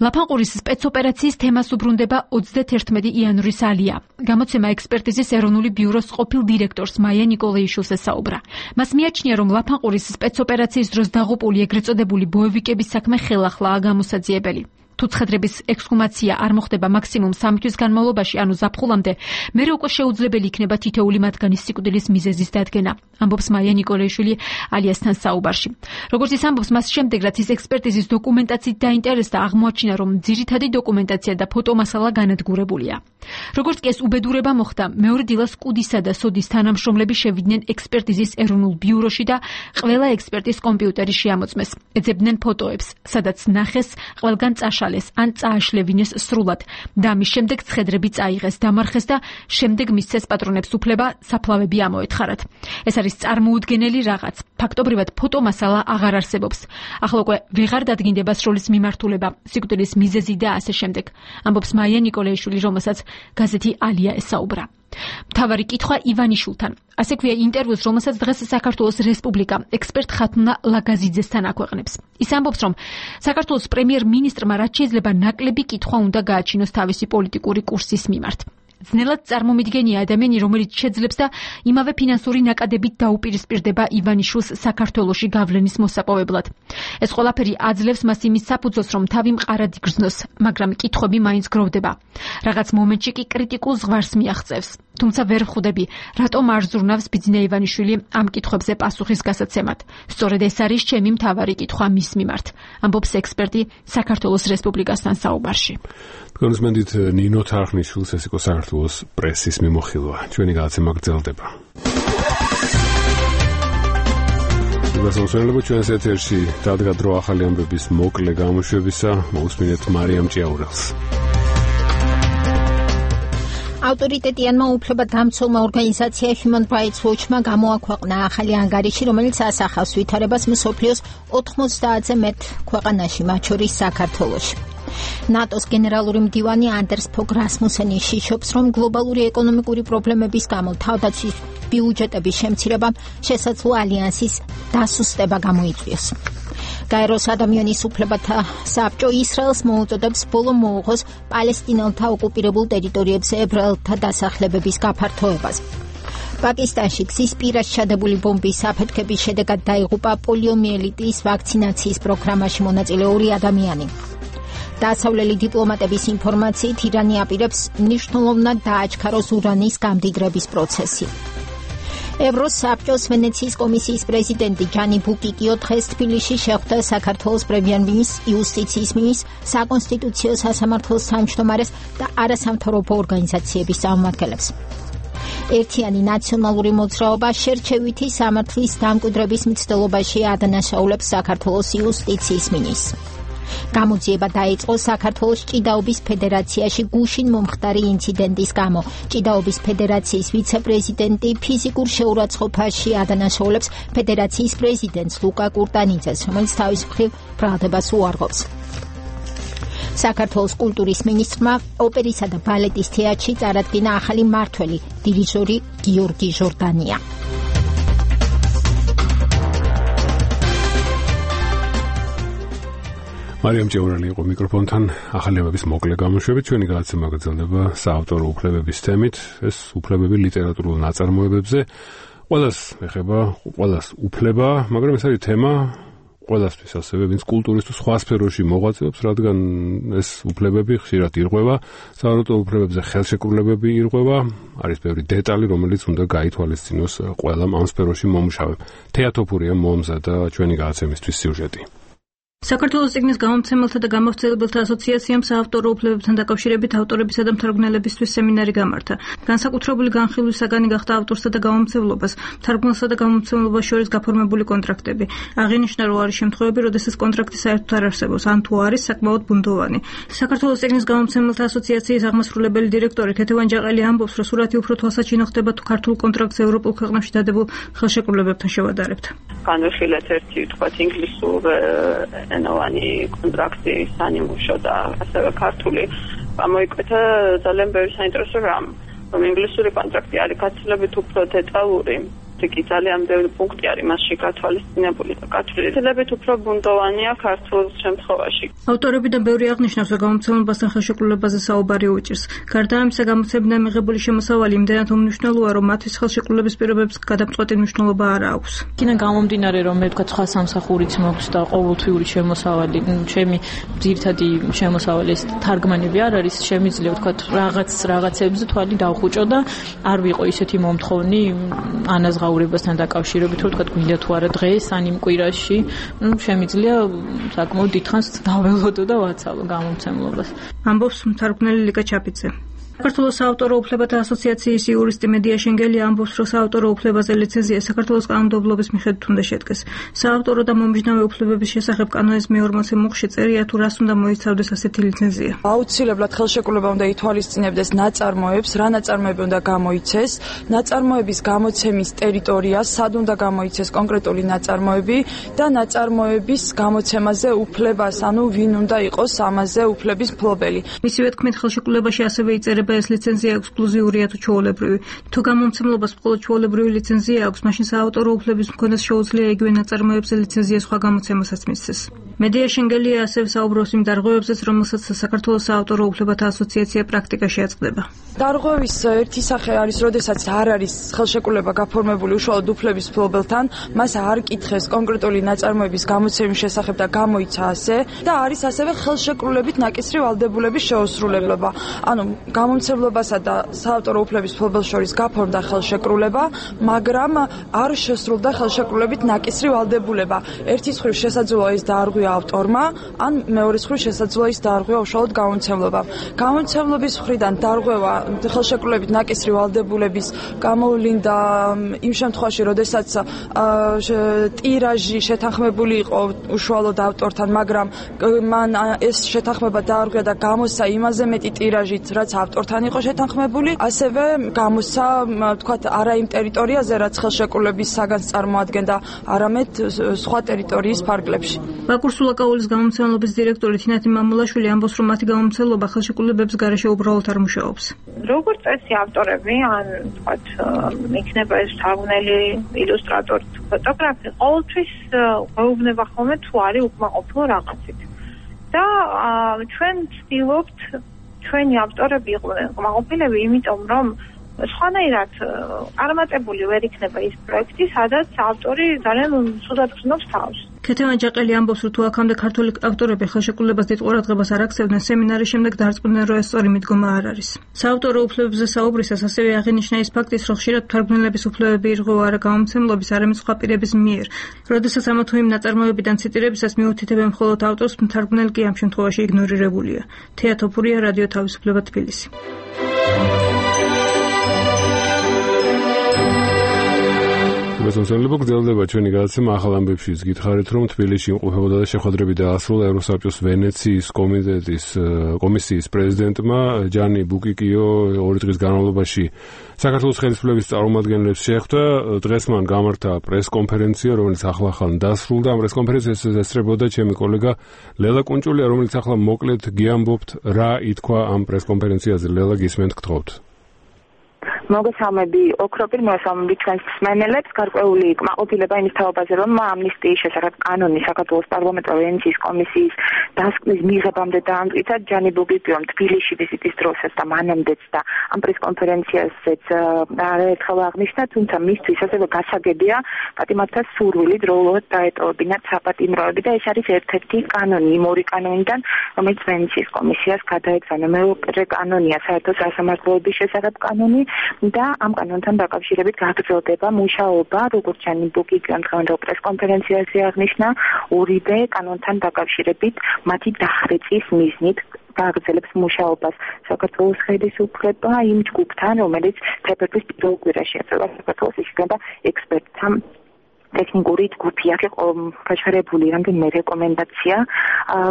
ლაფანყურის სპეცოპერაციის თემას უბრუნდება ოცდაათი იანვრის ალია. გამოცემა ექსპერტიზის ეროვნული ბიუროს ყოფილ დირექტორს მაია ნიკოლეიშვილს ესაუბრა. მას მიაჩნია, რომ ლაფანყურის სპეცოპერაციის დროს დაღუპული ეგრეთ წოდებული ბოევიკების საქმე ხელახლაა გამოსაძიებელი. თუ ცხადრების ექსჰუმაცია არ მოხდება მაქსიმუმ სამი თვის განმავლობაში, ანუ ზაფხულამდე, მერე უკვე შეუძლებელი იქნება თითოეული მათგანის სიკვდილის მიზეზის დადგენა, ამბობს მაია ნიკოლეიშვილი ალიასთან საუბარში. როგორც ის ამბობს, მას შემდეგ რაც ის ექსპერტიზის დოკუმენტაციით დაინტერესდა, აღმოაჩინა, რომ ძირითადი დოკუმენტაცია და ფოტომასალა განადგურებულია. როგორც კი ეს უბედურება მოხდა, მეორე დილას კუდისა და სოდის თანამშრომლები შევიდნენ ექსპერტიზის ეროვნულ ბიუროში და ყველა ექსპერტის კომპიუტერი შეამოწმეს. ეძებდნენ ფოტოებს, სადაც ნახეს ყველგან წაშალეს ან წააშლევინეს სრულად და ამის შემდეგ ცხედრები წაიღეს, დამარხეს და შემდეგ მისცეს პატრონებს უფლება საფლავები ამოეთხარათ. ეს არის წარმოუდგენელი რაღაც. ფაქტობრივად ფოტომასალა აღარ არსებობს. ახლა უკვე ვეღარ დადგინდება სროლის მიმართულება, სიკვდილის მიზეზი და ასე შემდეგ, ამბობს მაია ნიკოლეიშვილი, რომელსაც გაზეთი ალია ესაუბრა. მთავარი კითხვა ივანიშვილთან. ასე ქვია ინტერვიუს, რომელსაც დღეს საქართველოს რესპუბლიკა ექსპერტ ხათუნა ლაგაზიძესთან აქვეყნებს. ის ამბობს, რომ საქართველოს პრემიერ-მინისტრმა რაც შეიძლება ნაკლები კითხვა უნდა გააჩინოს თავისი პოლიტიკური კურსის მიმართ. ძნელად წარმომიდგენია ადამიანი, რომელიც შეძლებს და იმავე ფინანსური ნაკადებით დაუპირისპირდება ივანიშვილს საქართველოში გავლენის მოსაპოვებლად. ეს ყველაფერი აძლევს მას იმის საფუძველს, რომ თავი მყარად იგრძნოს, მაგრამ კითხვები მაინც გროვდება. რაღაც მომენტში კი კრიტიკულ ზღვარს მიაღწევს. თუმცა ვერ ვხვდები, რატომ არ ზრუნავს ბიძინა ივანიშვილი ამ კითხვებზე პასუხის გასაცემად. სწორედ ეს არის ჩემი მთავარი კითხვა მის მიმართ, ამბობს ექსპერტი საქართველოს რესპუბლიკასთან საუბარში. კონსმენდით ნინო თარხნიშვილს, ეს იყო საქართველოს პრესის მიმოხილვა. ჩვენი გადაცემა გრძელდება. გასაუბრებლად ჩვენს ეთერში დადგა დრო ახალი ამბების მოკლე გამოშვებისა, მოусმინეთ მარიამ ჭიაურელს. ავტორიტეტიანმა უფლებადამცველმა ორგანიზაცია Human Rights Watch-მა გამოაქვეყნა ახალი ანგარიში, რომელიც ასახავს ვითარებას მსოფლიოს ოთხმოცდაათზე მეტ ქვეყანაში, მათ შორის საქართველოში. ნატოს გენერალური მდივანი ანდერს ფოგ რასმუსენი შიშობს, რომ გლობალური ეკონომიკური პრობლემების გამო თავდაცვის ბიუჯეტების შემცირებამ შესაძლო ალიანსის დასუსტება გამოიწვიოს. გაეროს ადამიანის უფლებათა საბჭო ისრაელს მოუწოდებს ბოლო მოუღოს პალესტინელთა ოკუპირებულ ტერიტორიებზე ებრაელთა დასახლებების გაფართოებას. პაკისტანში გზის პირას ჩადებული ბომბის აფეთქების შედეგად დაიღუპა პოლიომიელიტის ვაქცინაციის პროგრამაში მონაწილე ორი ადამიანი. დასავლელი დიპლომატების ინფორმაციით ირანი აპირებს მნიშვნელოვნად დააჩქაროს ურანის გამდიდრების პროცესი. ევროსაბჭოს ვენეციის კომისიის პრეზიდენტი ჯანი ბუკიკიო დღეს თბილისში შეხვდა საქართველოს პრემიერ-მინისტრ იუსტიციის მინისტრ, საკონსტიტუციო სასამართლოს თავმჯდომარეს და არასამთავრობო ორგანიზაციების წარმომადგენლებს. ერთიანი ნაციონალური მოძრაობა შერჩევითი სამართლის დამკვიდრების მცდელობაში ადანაშაულებს საქართველოს იუსტიციის მინისტრს. გამოძიება დაიწყო საქართველოს ჭიდაობის ფედერაციაში გუშინ მომხდარი ინციდენტის გამო. ჭიდაობის ფედერაციის ვიცე-პრეზიდენტი ფიზიკურ შეურაცხყოფაში ადანაშაულებს ფედერაციის პრეზიდენტს ლუკა კურტანიძეს, რომელიც თავის მხრივ ბრალდებას უარყოფს. საქართველოს კულტურის მინისტრმა ოპერისა და ბალეტის თეატრში წარადგინა ახალი მმართველი, დირიჟორი გიორგი ჟორდანია. მარიამ ჭიაურელი იყო მიკროფონთან. ახალი ამბების მოკლე გამოშვებით ჩვენი გადაცემა გრძელდება საავტორო უფლებების თემით. ეს უფლებები ლიტერატურულ ნაწარმოებებზე ყველას ეხება, ყველას უფლება, მაგრამ ეს არის თემა ყველასთვის ასევე, ვინც კულტურის თუ სხვა სფეროში მოღვაწეობს, რადგან ეს უფლებები ხშირად ირღვევა, სავარაუდო უფლებებზე ხელშეკრულებები ირღვევა, არის ბევრი დეტალი, რომელიც უნდა გაითვალისწინოს ყველამ ამ სფეროში მომუშავემ. თეატოფურია მომზადა ჩვენი გადაცემისთვის სიუჟეტი. საქართველოს წიგნის გამომცემელთა და გამავრცელებელთა ასოციაციამ საავტორო უფლებებთან დაკავშირებით ავტორებისა და მთარგმნელებისთვის სემინარი გამართა. განსაკუთრებული განხილვის საგანი გახდა ავტორსა და გამომცემლობას, მთარგმნელსა და გამომცემლობას შორის გაფორმებული კონტრაქტები. აღინიშნა, რომ არის შემთხვევები, როდესაც კონტრაქტი საერთოდ არ არსებობს, ან თუ არის საკმაოდ ბუნდოვანი. საქართველოს წიგნის გამომცემელთა ასოციაციის აღმასრულებელი დირექტორი ქეთევან ჯაყელი ამბობს, რომ სურათი უფრო თვალსაჩინო ხდება თუ ქართულ კონტრაქტს ევროპულ ქვეყნებში დადებულ ხელშეკრულებებთან შევადარებთ. განვიხილეთ ერთი თქვათ ინგლისურ ენოვანი კონტრაქტი სანიმუშო და ასევე ქართული გამოიკვეთა ძალიან ბევრი საინტერესო რამ, რომ ინგლისური კონტრაქტი არის გაცილებით უფრო დეტალური, კი ძალიან ბევრი პუნქტი არის მასში გათვალისწინებული და გათვლილებით უფრო ბუნდოვანია ქართულ შემთხვევაში. ავტორები და ბევრი აღნიშნავს, რომ გამომცემლებასთან ხელშეკრულებაზე საუბარი უჭირს. გარდა ამისა, გამოცემიდან მიღებული შემოსავალი იმდენად უმნიშვნელოა, რომ მათთვის ხელშეკრულების პირობებს გადამწყვეტი მნიშვნელობა არ აქვს. იქიდან გამომდინარე, რომ მე ვთქვათ სხვა სამსახურიც მაქვს და ყოველთვიური შემოსავალი, ჩემი ძირითადი შემოსავალი ეს თარგმანები არ არის, შემიძლია ვთქვათ რაღაც რაღაცებზე თვალი დავხუჭო და არ ვიყო ისეთი მომთხოვნი ანაზღაურებასთან დაკავშირებით, რომ თქვა გვინდა თუ არა დღეს ან იმ კვირაში, ну, შემიძლია საკმაოდ დიდხანს დაველოდო და ვაცალო გამომცემლობას. ამბობს მთარგმნელი ლიკა ჩაფიძე. საქართველოს საავტორო უფლებათა ასოციაციის იურისტი მედია შენგელი ამბობს, რომ საავტორო უფლებაზე ლიცენზია საქართველოს კანონმდებლობის მიხედვით უნდა შედგეს. საავტორო და მომიჯნავე უფლებების შესახებ კანონის მეორმოცე მუხში წერია, თუ რას უნდა მოიცავდეს ასეთი ლიცენზია. აუცილებლად ხელშეკრულება უნდა ითვალისწინებდეს ნაწარმოებს, რა ნაწარმოები უნდა გამოიცეს, ნაწარმოების გამოცემის ტერიტორია, სად უნდა გამოიცეს კონკრეტული ნაწარმოები და ნაწარმოების გამოცემაზე უფლებას, ანუ ვინ უნდა იყოს ამაზე უფლების მფლობელი. მისივე თქმით, ხელშეკრულებაში ასევე იწერება ეს ლიცენზია ექსკლუზიურია თუ ჩვეულებრივი. თუ გამომცემლობას მხოლოდ ჩვეულებრივი ლიცენზია აქვს, მაშინ საავტორო უფლების მქონეს შეუძლია იგივე ნაწარმოებზე ლიცენზია სხვა გამოცემასაც მისცეს. მედია შენგელია ასევე საუბრობს იმ დარღვევებზეც, რომელსაც საქართველოს საავტორო უფლებათა ასოციაცია პრაქტიკაში აწყდება. დარღვევის ერთი სახე არის, როდესაც არ არის ხელშეკრულება გაფორმებული უშუალოდ უფლების მფლობელთან, მას არ კითხეს კონკრეტული ნაწარმოების გამოცემის შესახებ და გამოიცა ასე და არის ასევე ხელშეკრულებით ნაკისრი ვალდებულების შეუსრულებლობა. ანუ გამომცემლობასა და საავტორო უფლების მფლობელს შორის გაფორმდა ხელშეკრულება, მაგრამ არ შესრულდა ხელშეკრულებით ნაკისრი ვალდებულება. ერთის მხრივ შესაძლოა ის დაარღვია ავტორმა, ან მეორეს მხრივ შესაძლოა ის დაარღვია უშუალოდ გამომცემლობამ. გამომცემლობის მხრიდან დარღვევა ხელშეკრულებით ნაკისრი ვალდებულების გამოვლინდა იმ შემთხვევაში, როდესაც ტირაჟი შეთანხმებული იყო უშუალოდ ავტორთან, მაგრამ მან ეს შეთანხმება დაარღვია და გამოსცა იმაზე მეტი ტირაჟით, რაც ავტორთან იყო შეთანხმებული, ასევე გამოსცა, ვთქვათ, არა იმ ტერიტორიაზე, რაც ხელშეკრულების საგანს წარმოადგენდა, არამედ სხვა ტერიტორიის ფარგლებში. ბაკურ სულაკაულის გამომცემლობის დირექტორი თინათი მამულაშვილი ამბობს, რომ მათი გამომცემლობა ხელშეკრულებების გარეშე უბრალოდ არ მუშაობს. როგორც წესი ავტორები, ან ვთქვათ, იქნება ეს თარგმნელი, ილუსტრატორი, ფოტოგრაფი, ყოველთვის გვეუბნება ხოლმე თუ არის უკმაყოფილო რაღაცით. და ჩვენ ვცდილობთ ჩვენი ავტორები იყვნენ უკმაყოფილები, იმიტომ რომ სხვანაირად წარმატებული ვერ იქნება ის პროექტი, სადაც ავტორი ძალიან ცუდად გრძნობს თავს. ქეთევან ჯაყელი ამბობს, რომ თუ აქამდე ქართული ავტორები ხელშეკრულებას დიდ ყურადღებას არ აქცევდნენ, სემინარის შემდეგ დაარწმუნდნენ, რომ ეს სწორი მიდგომა არ არის. საავტორო უფლებებზე საუბრისას ასევე აღინიშნა ის ფაქტიც, რომ ხშირად მთარგმნელების უფლებები ირღვევა არა გამომცემლობის, არამედ სხვა პირების მიერ. როდესაც ამა თუ იმ ნაწარმოებიდან ციტირებისას მიუთითებენ მხოლოდ ავტორს, მთარგმნელი კი ამ შემთხვევაში იგნორირებულია. თეატოფურია, რადიო თავისუფლება, თბილისი. მოსახლეობა გრძელდება ჩვენი გადაცემა ახალ ამბებში. გითხარით, რომ თბილისში იმყოფებოდა და შეხვედრები დაასრულა ევროსაბჭოს ვენეციის კომიტეტის კომისიის პრეზიდენტმა ჯანი ბუკიკიო ორი დღის განმავლობაში საქართველოს ხელისუფლების წარმომადგენლებს შეხვდა. დღეს მან გამართა პრესკონფერენცია, რომელიც ახლა-ახლა დასრულდა. ამ პრესკონფერენციას ესწრებოდა ჩემი კოლეგა ლელა კუნჭულია, რომელიც ახლა მოკლედ გიამბობთ, რა ითქვა ამ პრესკონფერენციაზე. ლელა, გისმენთ, გთხოვთ. მოგესალმები ოქროპირ მოგესალმები ჩვენს მსმენელებს გარკვეული კმაყოფილება იმის თაობაზე რომ ამნისტიის შესახებ კანონი საქართველოს პარლამენტური ვენეციის კომისიის დასკვნის მიღებამდე დაამტკიცა ჯანი ბუგიკიომ თბილისში ვიზიტის დროსაც და მანამდეც და ამ პრესკონფერენციაზეც ერთხელ აღნიშნა, თუმცა მისთვის ასევე გასაგებია პატიმართას სურვილი დროულად დაეტოვებინათ საპატიმროები და ეს არის ერთ-ერთი კანონი იმ ორი კანონიდან, რომელიც ვენეციის კომისიას გადაეგზავნა. მეორე კანონია საერთო სასამართლოების შესახებ კანონი და ამ კანონთან დაკავშირებით გაგრძელდება მუშაობა, როგორც ჯანი ბუგიკიომ დღევანდელ პრესკონფერენციაზე აღნიშნა, ორივე კანონთან დაკავშირებით მათი დახვეწის მიზნით გააგრძელებს მუშაობას საქართველოს ხელისუფლება იმ ჯგუფთან, რომელიც თებერვლის პირველ კვირაში ეწევა საქართველოს იქნება ექსპერტთა ტექნიკური ჯგუფი, აქ იყო გაჩერებული რამდენიმე რეკომენდაცია,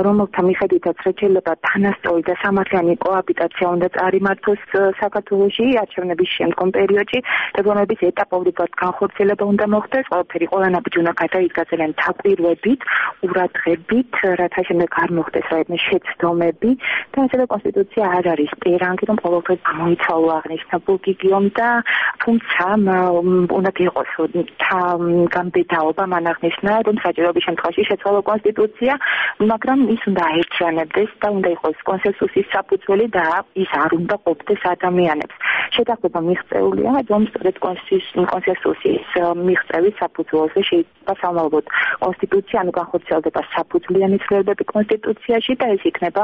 რომელთა მიხედვითაც შეიძლება თანასწორი და სამართლიანი კოაბიტაცია უნდა წარიმართოს საქართველოში არჩევნების შემდგომ პერიოდში, რეგიონების ეტაპობრივად განხორციელება უნდა მოხდეს, ყველაფერი ყველანაირად უნდა გადაიდგა ძალიან დაკვირვებით, ყურადღებით, რათა შემდეგ არ მოხდეს რაიმე შეცდომები და ასევე კონსტიტუცია არ არის პერანგი, რომ ყოველთვის გამოიცვალო აღნიშნა ბუგიკიომ და თუმცა უნდა იყოს ბედაობა მან აღნიშნა, რომ საჭიროების შემთხვევაში შეცვალო კონსტიტუცია, მაგრამ ის უნდა აერთიანებდეს და უნდა იყოს კონსენსუსის საფუძველი და ის არ უნდა ყოფდეს ადამიანებს. შეთანხმება მიღწეულია, რომ სწორედ კონსენსუსის მიღწევის საფუძველზე შეიძლება სამალოთ კონსტიტუცია, ანუ განხორციელდება საფუძვლიანი ცვლილებები კონსტიტუციაში და ეს იქნება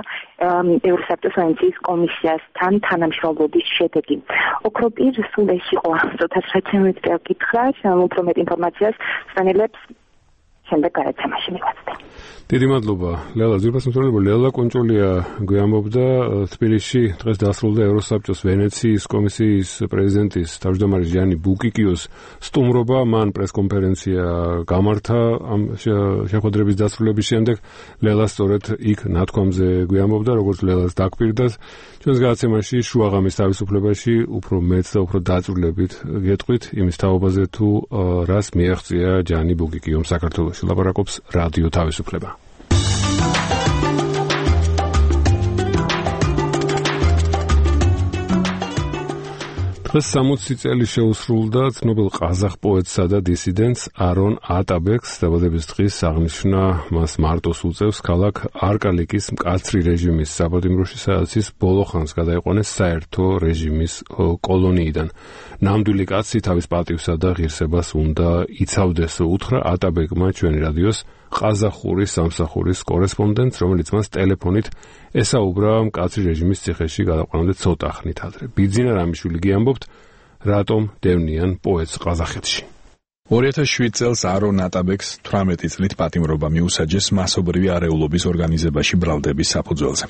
ევროსაბჭოს ვენეციის კომისიასთან თანამშრომლობის შედეგი. ოქროპირ სულ ეს იყო ცოტა სპეციფიკური კითხვა, უფრო მეტ ინფორმაციას სპანელებს შემდეგ გადაცემაში მივაწვდე. დიდი მადლობა. ლელა ზურბასმსწავლებელი ლელა კონჭოლია გვამბობდა თბილისში დღეს დასრულდა ევროსაბჭოს ვენეციის კომისიის პრეზიდენტის თავმჯდომარე ჟანი ბუკიკიოს სტუმრობა, მან პრესკონფერენცია გამართა ამ შეხვედრების დასრულების შემდეგ. ლელა სწორედ იქ ნათქვამზე გვამბობდა, როგორც ლელას დაგვირდათ. ჩვენს გადაცემაში შუაღამის თავისუფლებაში უფრო მეც და უფრო დაწვრილებით გეტყვით იმის თაობაზე თუ რას მიაღწია ჟანი ბუკიკიომ საქართველოში. ლაპარაკობს რადიო თავისუფლება. დღეს სამოცი წელი შეუსრულდა ცნობილ ყაზახ პოეტსა და დისიდენტს არონ ატაბეკს დაბადების დღის აღნიშვნა მას მარტოს უწევს ქალაქ არკალიკის მკაცრი რეჟიმის საპატიმროში, სადაც ის ბოლო ხანს გადაიყვანეს საერთო რეჟიმის კოლონიიდან. ნამდვილი კაცი თავის პატივსა და ღირსებას უნდა იცავდეს, უთხრა ატაბეკმა ჩვენი რადიოს ყაზახური სამსახურის კორესპონდენტს, რომელიც მას ტელეფონით ესაუბრა მკაცრი რეჟიმის ციხეში გადაყვანამდე ცოტა ხნით ადრე. ბიძინა რამიშვილი გიამბობთ, რატომ დევნიან პოეტს ყაზახეთში. ორი ათას შვიდ წელს არონ ატაბეკს თვრამეტი წლით პატიმრობა მიუსაჯეს მასობრივი არეულობის ორგანიზებაში ბრალდების საფუძველზე.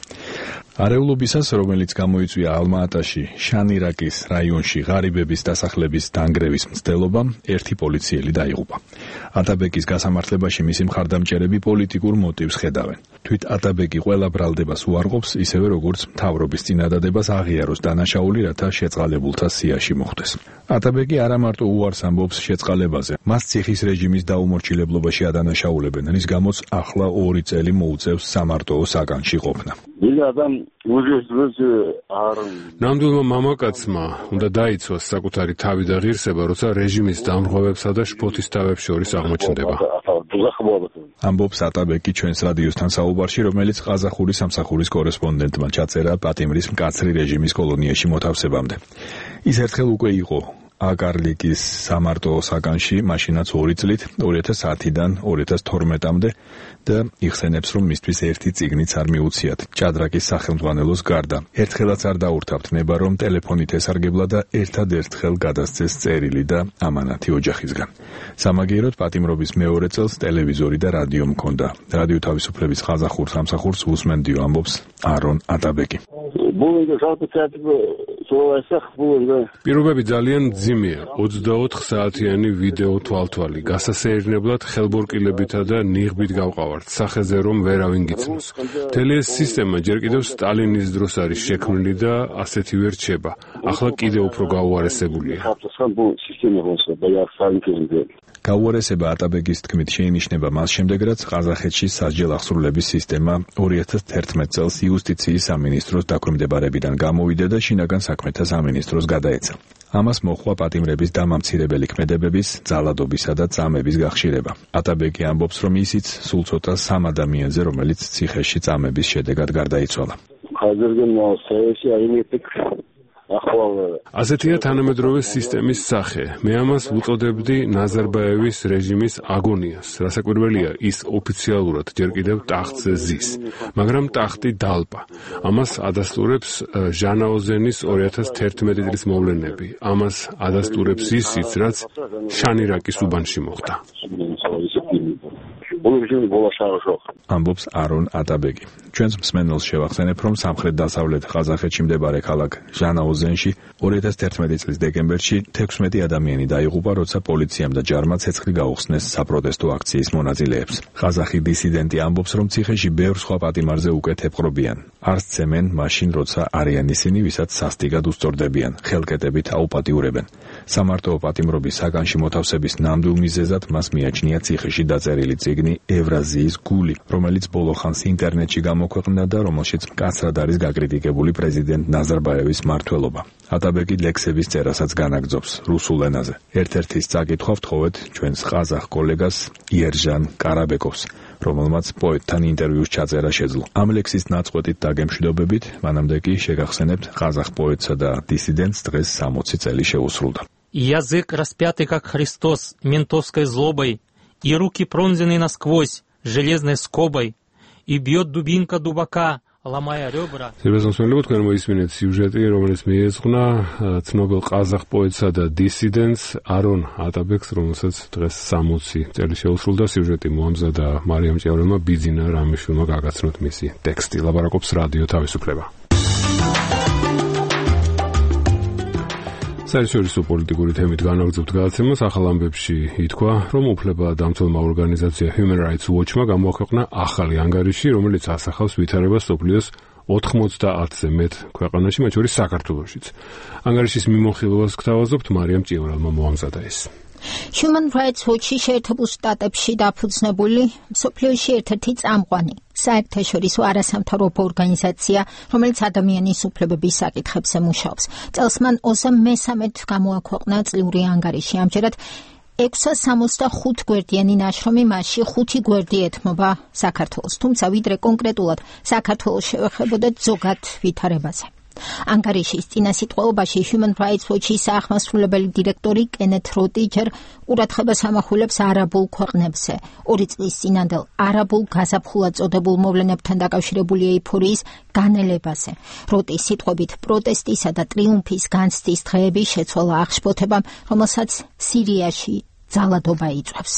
არეულობისას, რომელიც გამოიწვია ალმა-ატაში, შანირაკის რაიონში ღარიბების დასახლების დანგრევის მცდელობა, ერთი პოლიციელი დაიღუპა. ატაბეკის გასამართლებაში მისი მხარდამჭერები პოლიტიკურ მოტივს ხედავენ. თვით ატაბეკი ყველა ბრალდებას უარყოფს, ისევე როგორც მთავრობის წინადადებას აღიაროს დანაშაული, რათა შეწყალებულთა სიაში მოხვდეს. ატაბეკი არა მარტო უარს ამბობს შეწყალებაზე, მას ციხის რეჟიმის დაუმორჩილებლობაში ადანაშაულებენ, რის გამოც ახლა ორი წელი მოუწევს სამარტოო საგანში ყოფნა. ნამდვილმა მამაკაცმა უნდა დაიცვას საკუთარი თავი და ღირსება, როცა რეჟიმის დამრღვევებსა და შფოთისთავებს შორის აღმოჩნდება. ამბობს ატაბეკი ჩვენს რადიოსთან საუბარში, რომელიც ყაზახური სამსახურის კორესპონდენტმა ჩაწერა პატიმრის მკაცრი რეჟიმის კოლონიაში მოთავსებამდე. ის ერთხელ უკვე იყო აკარლიკის სამარტოო საგანში, მაშინაც ორი წლით, ორი ათას ათიდან ორი ათას თორმეტამდე და იხსენებს, რომ მისთვის ერთი წიგნიც არ მიუციათ, ჭადრაკის სახელმძღვანელოს გარდა. ერთხელაც არ დაურთავთ ნება, რომ ტელეფონით ესარგებლა და ერთად-ერთხელ გადასცეს წერილი და ამანათი ოჯახისგან. სამაგიეროდ პატიმრობის მეორე წელს ტელევიზორი და რადიო მქონდა. რადიო თავისუფლების ყაზახურ სამსახურს უსმენდიო, ამბობს არონ ატაბეკი. პირობები ძალიან მძიმეა. ოცდაოთხ საათიანი ვიდეო თვალთვალი, გასასეირნებლად ხელბორკილებითა და ნიღბით გავყავართ, სახეზე რომ ვერავინ გიცნობს. მთელი ეს სისტემა ჯერ კიდევ სტალინის დროს არის შექმნილი და ასეთივე რჩება. ახლა კიდევ უფრო გაუარესებულია. გაუარესება ატაბეკის თქმით შეინიშნება მას შემდეგ, რაც ყაზახეთში სასჯელ აღსრულების სისტემა ორი ათას თერთმეტ წელს იუსტიციის სამინისტროს დაქვემდებარებიდან გამოვიდა და შინაგან საქმეთა სამინისტროს გადაეცა. ამას მოჰყვა პატიმრების დამამცირებელი ქმედებების, ძალადობისა და წამების გახშირება. ატაბეკი ამბობს, რომ ისიც სულ ცოტა სამ ადამიანზე, რომელიც ციხეში წამების შედეგად გარდაიცვალა. ასეთია თანამედროვე სისტემის სახე. მე ამას ვუწოდებდი ნაზარბაევის რეჟიმის აგონიას. რასაკვირველია, ის ოფიციალურად ჯერ კიდევ ტახტზე ზის, მაგრამ ტახტი დალპა. ამას ადასტურებს ჟანაოზენის ორი ათას თერთმეტი წლის მოვლენები. ამას ადასტურებს ისიც, რაც შანირაკის უბანში მოხდა. ამბობს არონ ატაბეკი. ჩვენს მსმენელს შევახსენებ, რომ სამხრეთ-დასავლეთ ყაზახეთში მდებარე ქალაქ ჟანაოზენში ორი ათას თერთმეტი წლის დეკემბერში თექვსმეტი ადამიანი დაიღუპა, როცა პოლიციამ და ჯარმა ცეცხლი გაუხსნეს საპროტესტო აქციის მონაწილეებს. ყაზახი დისიდენტი ამბობს, რომ ციხეში ბევრ სხვა პატიმარზე უკეთ ეპყრობიან. არ სცემენ მაშინ, როცა არიან ისინი, ვისაც სასტიკად უსწორდებიან, ხელკეტებით აუპატიურებენ. სამარტო პატიმრობის საგანში მოთავსების ნამდვილ მიზეზად მას მიაჩნია ციხეში დაწერილი წიგნი ევრაზიის გული, რომელიც ბოლო ხანს ინტერნეტში გამოქვეყნდა და რომელშიც მკაცრად არის გაკრიტიკებული პრეზიდენტ ნაზარბაევის მმართველობა. ატაბეკი ლექსების წერასაც განაგრძობს რუსულ ენაზე. ერთ-ერთის წაკითხვა ვთხოვეთ ჩვენს ყაზახ კოლეგას იერჟან კარაბეკოვს, რომელმაც პოეტთან ინტერვიუს ჩაწერა შეძლო. ამ ლექსის ნაწყვეტით დაგემშვიდობებით, მანამდე კი შეგახსენებთ ყაზახ პოეტსა და დისიდენტს დღეს სამოცი წელი შეუსრულდა. Язык распятый, как Христос, ментовской злобой, и руки пронзены насквозь железной скобой, и бьет дубинка дубака, ломая ребра. Სერბეთს თქვენ მოისმინეთ სიუჟეტი, რომელიც მიეძღვნა ცნობილ ყაზახ პოეტსა და დისიდენტს არონ ატაბეკს, რომელსაც დღეს სამოცი წელი შეუსრულდა. სიუჟეტი მოამზადა მარიამ ჭიაურელმა, ბიძინა რამიშვილმა გაგაცნოთ მისი ტექსტი. ლაპარაკობს რადიო თავისუფლება. საერთაშორისო პოლიტიკური თემით განაგრძობთ გადაცემას. ახალ ამბებში ითქვა, რომ უფლებადამცველმა ორგანიზაცია Human Rights Watch-მა გამოაქვეყნა ახალი ანგარიში, რომელიც ასახავს ვითარებას მსოფლიოს ოთხმოცდაათზე მეტ ქვეყანაში, მათ შორის საქართველოშიც. ანგარიშის მიმოხილვას გთავაზობთ, მარიამ ჭიაურელმა მოამზადა ეს. Human Rights Watch-ი შეერთებულ შტატებში დაფუძნებული მსოფლიოში ერთ-ერთი წამყვანი საერთაშორისო არასამთავრობო ორგანიზაცია, რომელიც ადამიანის უფლებების საკითხებზე მუშაობს. წელს მან ოცდაათი მესამედ გამოაქვეყნა წლიური ანგარიში. ამჯერად ექვსსა სამოცდახუთ გვერდიანი ნაშრომი, მასში ხუთი გვერდი ეთმობა საქართველოს, თუმცა ვიდრე კონკრეტულად საქართველოს შევეხებოდეთ ზოგად ვითარებაზე. ანგარიშის წინასიტყვეობაში Human Rights Watch-ის აღმასრულებელი დირექტორი კენეთ როტი ჯერ ყურადღებას ამახვილებს არაბულ ქვეყნებზე. ორი წლის წინანდელ არაბულ გაზაფხულად წოდებულ მოვლენებთან დაკავშირებული ეიფორიის განელებაზე. როტის სიტყვებით, პროტესტისა და ტრიუმფის განცდის დღეები შეცვალა აღშფოთებამ, რომელსაც სირიაში ძალადობა იწვევს.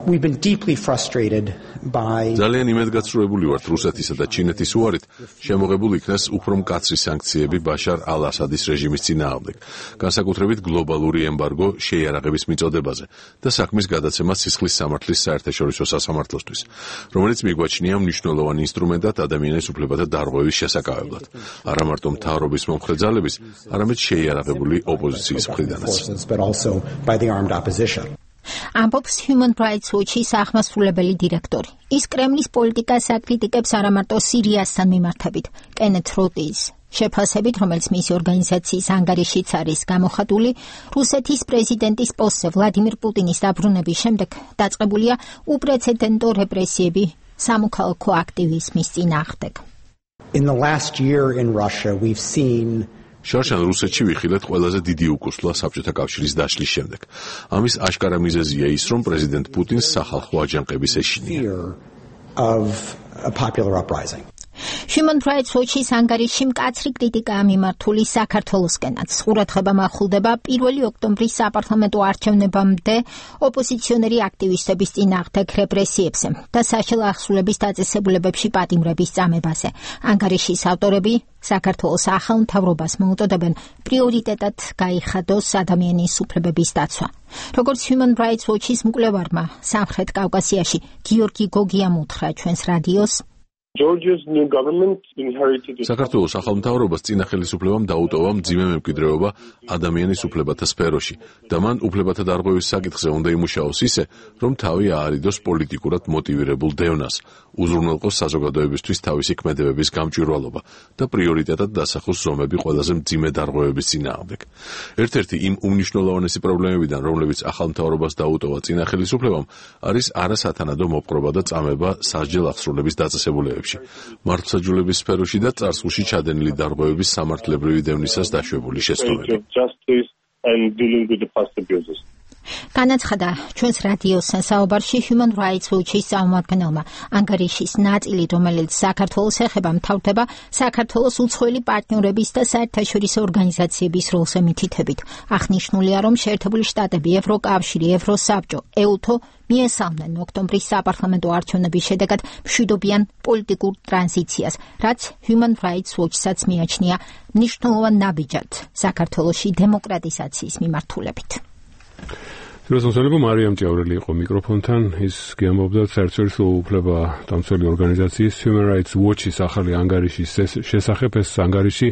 We've been deeply frustrated by ძალიან იმედგაცრუებული ვართ რუსეთისა და ჩინეთის უარით შემოღებულ იქნას უფრო მკაცრი სანქციები ბაშარ ალ-ასადის რეჟიმის წინააღმდეგ, განსაკუთრებით გლობალური ემბარგო შეიარაღების მიწოდებაზე და საქმის გადაცემა სისხლის სამართლის საერთაშორისო სასამართლოსთვის, რომელიც მიგვაჩნია მნიშვნელოვანი ინსტრუმენტად ადამიანის უფლებათა დარღვევის შესაკავებლად, არა მარტო მთავრობის მომხრე ძალების, არამედ შეიარაღებული ოპოზიციის მხრიდანაც. ამბობს Human Rights Watch-ის აღმასრულებელი დირექტორი. ის კრემლის პოლიტიკას აკრიტიკებს არა მარტო სირიასთან მიმართებით. კენეთ როტის შეფასებით, რომელიც მისი ორგანიზაციის ანგარიშიც არის გამოხატული, რუსეთის პრეზიდენტის პოსტზე ვლადიმირ პუტინის დაბრუნების შემდეგ დაწყებულია უპრეცედენტო რეპრესიები სამოქალაქო აქტივიზმის წინააღმდეგ. In the last year in Russia, we've seen შარშან რუსეთში ვიხილეთ ყველაზე დიდი უკუსლა საბჭოთა კავშირის დაშლის შემდეგ. ამის აშკარა მიზეზია ის, რომ პრეზიდენტ პუტინს სახალხო აჯანყების ეშინია. Human Rights Watch-ის ანგარიში მკაცრი კრიტიკაა მიმართული საქართველოსკენაც. ყურადღება მახვილდება პირველი ოქტომბრის საპარლამენტო არჩევნებამდე ოპოზიციონერი აქტივისტების წინააღმდეგ რეპრესიებზე და სახელო აღსრულების დაწესებულებებში პატიმრების წამებაზე. ანგარიშის ავტორები საქართველოს ახალ მთავრობას მოუწოდებენ პრიორიტეტად გაიხადოს ადამიანის უფლებების დაცვა. როგორც Human Rights Watch-ის მკვლევარმა სამხრეთ კავკასიაში გიორგი გოგიამ უთხრა ჩვენს რადიოს, საქართველოს ახალ მთავრობას წინა ხელისუფლებამ დაუტოვა მძიმე მემკვიდრეობა ადამიანის უფლებათა სფეროში და მან უფლებათა დარღვევის საკითხზე უნდა იმუშაოს ისე, რომ თავი აარიდოს პოლიტიკურად მოტივირებულ დევნას, უზრუნველყოს საზოგადოებისთვის თავისი ქმედებების გამჭვირვალობა და პრიორიტეტად დასახოს ზომები ყველაზე მძიმე დარღვევების წინააღმდეგ. ერთ-ერთი იმ უმნიშვნელოვანესი პრობლემებიდან, რომლებიც ახალ მთავრობას დაუტოვა წინა ხელისუფლებამ, არის არასათანადო მოპყრობა და წამება სასჯელ აღსრულების დაწესებულებებში. მართლმსაჯულების სფეროში და წარსულში ჩადენილი დარღვევების სამართლებრივი დევნისას დაშვებული შეცდომები. განაცხადა ჩვენს რადიოსთან საუბარში Human Rights Watch-ის წარმომადგენელმა. ანგარიშის ნაწილი, რომელიც საქართველოს ეხება, მთავრდება საქართველოს უცხოელი პარტნიორების და საერთაშორისო ორგანიზაციების როლს ემითითებით. აღნიშნულია, რომ შეერთებული შტატები, ევროკავშირი, ევროსაბჭო, ეუთო მიესალმნენ ოქტომბრის საპარლამენტო არჩევნების შედეგად მშვიდობიან პოლიტიკურ ტრანზიციას, რაც Human Rights Watch-საც მიაჩნია მნიშვნელოვან ნაბიჯად საქართველოში დემოკრატიზაციის მიმართულებით. Სულსონსონებო მარიამ ჭიაურელი იყო მიკროფონთან, ის გიამბობდა საერთაშორისო უფლება დამცველი ორგანიზაციის Human Rights Watch-ის ახალი ანგარიშის შესახებ. ეს ანგარიში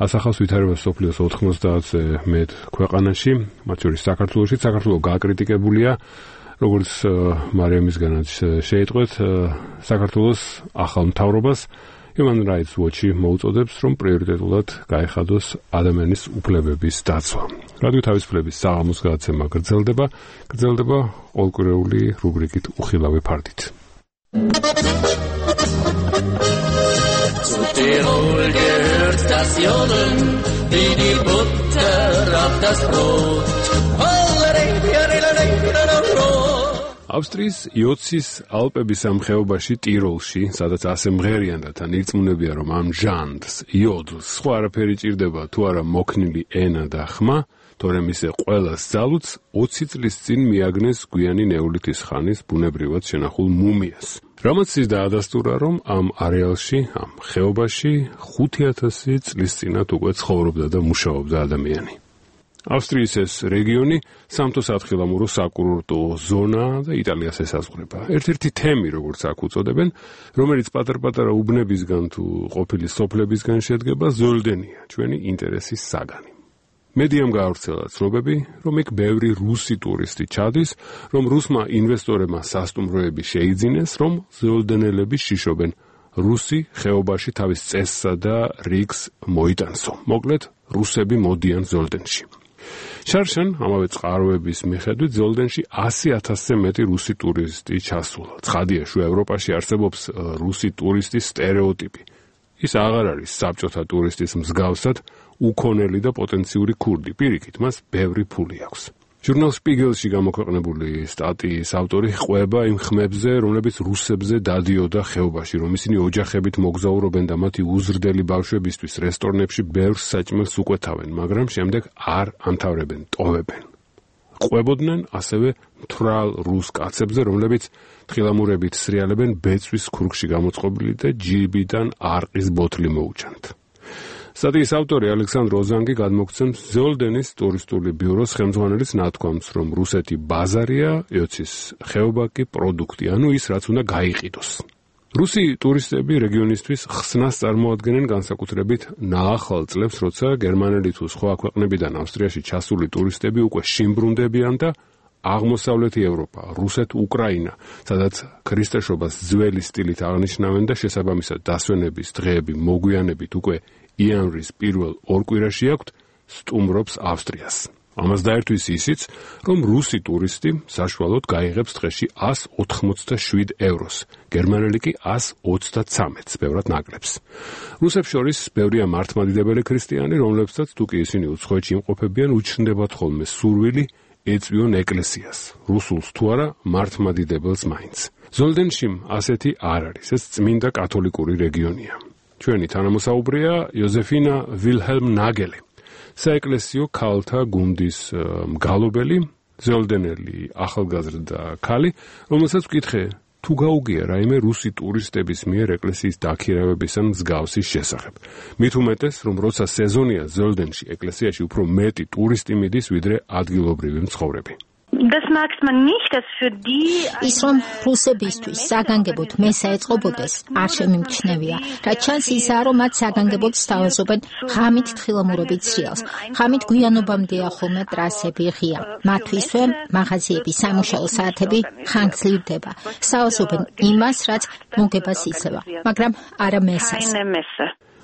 ასახავს ვითარებას სოფლიოს ოთხმოცდაათზე მეტ ქვეყანაში, მათ შორის საქართველოში. საქართველო გააკრიტიკებულია, როგორც მარიამისგანაც შეიტყვეთ, საქართველოს ახალ მთავრობას Human Rights Watch-ი მოუწოდებს, რომ პრიორიტეტულად გაეხადოს ადამიანის უფლებების დაცვა. რადიო თავისუფლების საღამოს გადაცემა გრძელდება, გრძელდება ყოველკვირეული რუბრიკით უხილავი ფარდით. Zu Tirol gehört das Jodeln, wie die Butter auf das Brot. ავსტრიის იოცის ალპების ამ ხეობაში ტიროლში, სადაც ასე მღერიან და თან ირწმუნებიან, რომ ამ ჟანრს, იოდლს, სხვა არაფერი ჭირდება თუ არა მოქნილი ენა და ხმა, თორემ ისე ყველას ძალუც ოცი წლის წინ მიაგნეს გვიანი ნეოლითის ხანის ბუნებრივად შენახულ მუმიას. რამაც ის დაადასტურა, რომ ამ არეალში, ამ ხეობაში ხუთი ათასი წლის წინათ უკვე ცხოვრობდა და მუშაობდა ადამიანი. ავსტრიის ეს რეგიონი სამთო სათხილამურო საკურორტო ზონა და იტალიას ესაზღვრება. ერთ-ერთი თემი, როგორც აქ უწოდებენ, რომელიც პატარ-პატარა უბნებისგან თუ ყოფილი სოფლებისგან შედგება, ზოლდენია, ჩვენი ინტერესის საგანი. მედიამ გაავრცელა ცნობები, რომ იქ ბევრი რუსი ტურისტი ჩადის, რომ რუსმა ინვესტორებმა სასტუმროები შეიძინეს, რომ ზოლდენელები შიშობენ რუსი ხეობაში თავის წესსა და რიგს მოიტანსო. მოკლედ, რუსები მოდიან ზოლდენში. შარშან ამავე წყაროების მიხედვით ზოლდენში ასი ათასზე მეტი რუსი ტურისტი ჩასულა. ცხადია, შუა ევროპაში არსებობს რუსი ტურისტის სტერეოტიპი. ის აღარ არის საბჭოთა ტურისტის მსგავსად უქონელი და პოტენციური ქურდი. პირიქით, მას ბევრი ფული აქვს. ჟურნალ შპიგელში გამოქვეყნებული სტატიის ავტორი ყვება იმ ხმებზე, რომლებიც რუსებზე დადიოდა ხეობაში, რომ ისინი ოჯახებით მოგზაურობენ და მათი უზრდელი ბავშვებისთვის რესტორნებში ბევრ საჭმელს უკვეთავენ, მაგრამ შემდეგ არ ამთავრებენ, ტოვებენ. ყვებოდნენ ასევე მთვრალ რუს კაცებზე, რომლებიც თხილამურებით სრიალებენ ბეწვის ქურგში გამოწყობილი და ჯიბიდან არყის ბოთლი მოუჩანთ. სტატიის ავტორი ალექსანდრ ოზანგი გადმოგცემს ზოლდენის ტურისტული ბიუროს ხელმძღვანელის ნათქვამს, რომ რუსეთი ბაზარია, იოცის ხეობა კი პროდუქტი, ანუ ის რაც უნდა გაიყიდოს. რუსი ტურისტები რეგიონისთვის ხსნას წარმოადგენენ განსაკუთრებით ნაახალ წლებს, როცა გერმანელი თუ სხვა ქვეყნებიდან ავსტრიაში ჩასული ტურისტები უკვე შიმბრუნდებიან და აღმოსავლეთი ევროპა, რუსეთ, უკრაინა, სადაც ქრისტეშობას ძველი სტილით აღნიშნავენ და შესაბამისად დასვენების დღეები მოგვიანებით უკვე იანვრის პირველ ორ კვირაში აქვთ, სტუმრობს ავსტრიას. ამას დაერთვის ისიც, რომ რუსი ტურისტი საშუალოდ გაიღებს დღეში ასი ოთხმოცდაშვიდ ევროს, გერმანელი კი ასი ოცდაცამეტს, ბევრად ნაკლებს. რუსებს შორის ბევრია მართლმადიდებელი ქრისტიანი, რომლებსაც თუ კი ისინი უცხოეთში იმყოფებიან, უჩნდებათ ხოლმე სურვილი ეწვიონ ეკლესიას, რუსულს თუ არა მართლმადიდებელს მაინც. ზოლდენში ასეთი არ არის, ეს წმინდა კათოლიკური რეგიონია. ჩვენი თანამოსაუბრეა იოზეფინა ვილჰელმ ნაგელი, საეკლესიო ქალთა გუნდის მგალობელი, ზოლდენელი ახალგაზრდა ქალი, რომელსაც ვკითხე, თუ გაუგია რაიმე რუსი ტურისტების მიერ ეკლესიის დაქირავების ან მსგავსის შესახებ. მით უმეტეს, რომ როცა სეზონია ზოლდენში ეკლესიაში უფრო მეტი ტურისტი მიდის, ვიდრე ადგილობრივი მცხოვრები. ის რომ რუსებისთვის საგანგებოდ მესა ეწყობოდეს არ შემიმჩნევია, რაც ჩანს ისაა, რომ მათ საგანგებოდ სთავაზობენ ღამით თხილამურებით სრიალს. ღამით გვიანობამდეა ხოლმე ტრასები ღია. მათთვისვე მაღაზიები, სამუშაო საათები ხანგრძლივდება. სთავაზობენ იმას, რაც მოგებას იძლევა, მაგრამ არა მესას.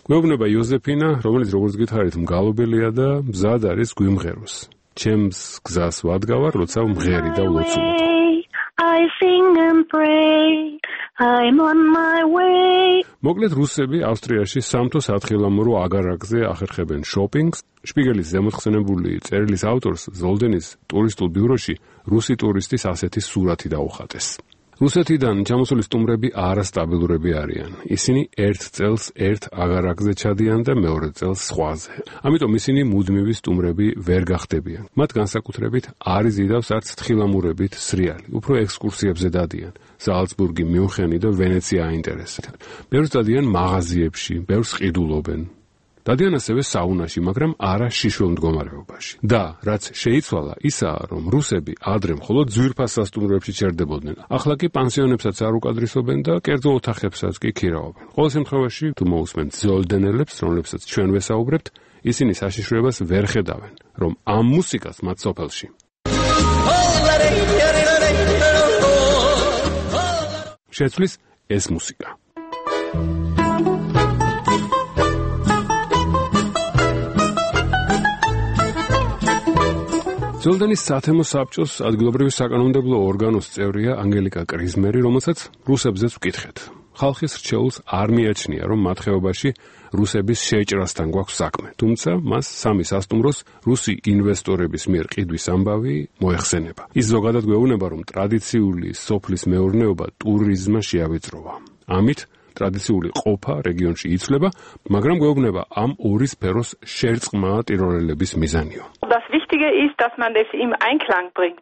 გვეუბნება იოზეფინა, რომელიც როგორც გითხარით მგალობელია და მზად არის გვიმღეროს. ჩემს გზას ვადგავარ, როცა მღერი და ვლოცულობ. I sing and pray, I'm on my way. მოკლედ რუსები ავსტრიაში სამთო სათხილამურო აგარაკზე ახერხებენ შოპინგს. შპიგელის ზემოთხსენებული წერილის ავტორს ზოლდენის ტურისტულ ბიუროში რუსი ტურისტის ასეთი სურათი დაუხატეს. რუსეთიდან ჩამოსული სტუმრები არასტაბილურები არიან. ისინი ერთ წელს ერთ აგარაკზე ჩადიან და მეორე წელს სხვაზე. ამიტომ ისინი მუდმივი სტუმრები ვერ გახდებიან. მათ განსაკუთრებით არ იზიდავს არც თხილამურებით სრიალი. უფრო ექსკურსიებზე დადიან. ზალცბურგი, მიუნხენი და ვენეცია აინტერესებენ. ბევრს დადიან მაღაზიებში, ბევრს ყიდულობენ. დადიან ასევე საუნაში, მაგრამ არა შიშველ მდგომარეობაში. და რაც შეიცვალა, ისაა, რომ რუსები ადრე მხოლოდ ძვირფას სასტუმროებში ჩერდებოდნენ. ახლა კი პანსიონებსაც არ უკადრისობენ და კერძო ოთახებსაც კი ქირავობენ. ყოველ შემთხვევაში, თუ მოусმენთ ზოლდენელებს, რომლებსაც ჩვენ ვესაუბრებთ, ისინი საშიშროებას ვერ ხედავენ, რომ ამ მუსიკას მათ სოფელში შეცვლის ეს მუსიკა. ზოლდენის სათემო საბჭოს ადგილობრივი საკანონმდებლო ორგანოს წევრია ანგელიკა კრიზმერი, რომელსაც რუსებზეც ვკითხეთ. ხალხის რჩეულს არ მიაჩნია, რომ მათ ხეობაში რუსების შეჭრასთან გვაქვს საქმე, თუმცა მას სამი სასტუმროს რუსი ინვესტორების მიერ ყიდვის ამბავი მოეხსენება. ის ზოგადად გვეუბნება, რომ ტრადიციული სოფლის მეურნეობა ტურიზმმა შეავიწროვა. ამით ტრადიციული ყოფა რეგიონში იცვლება, მაგრამ გვეუბნება ამ ორი სფეროს შერწყმა ტიროლელების მიზანიო.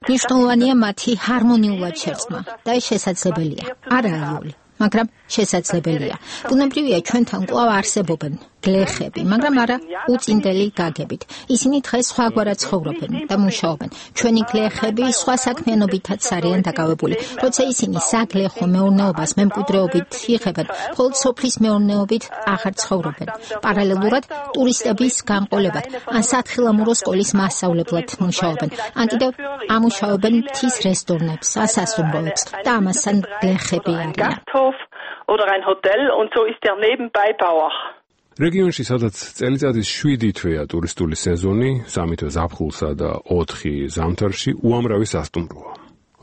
მნიშვნელოვანია მათი ჰარმონიულად შერწყმა და ეს შესაძლებელია. არაიული, მაგრამ შესაძლებელია. ბუნებრივია ჩვენთან კვლავ არსებობენ გლეხები, მაგრამ არა უწინდელი გაგებით. ისინი დღეს სხვაგვარად ცხოვრობენ და მუშაობენ. ჩვენი გლეხები სხვა საქმიანობითაც არიან დაკავებული. როცა ისინი საგლეხო მეურნეობას მემკვიდრეობით იღებენ, მხოლოდ სოფლის მეურნეობით აღარ ცხოვრობენ. პარალელურად ტურისტების განყოლებად ან სათხილამურო სკოლის მასწავლებლად მუშაობენ. ან კიდევ ამუშავებენ მთის რესტორნებს, სასტუმროებს და ამასთან გლეხები არიან. oder ein Hotel und so ist er nebenbei Bauer. რეგიონში, სადაც წელიწადის შვიდი თვეა ტურისტული სეზონი, სამი თვე ზაფხულსა და ოთხი ზამთარში უამრავი სასტუმროა.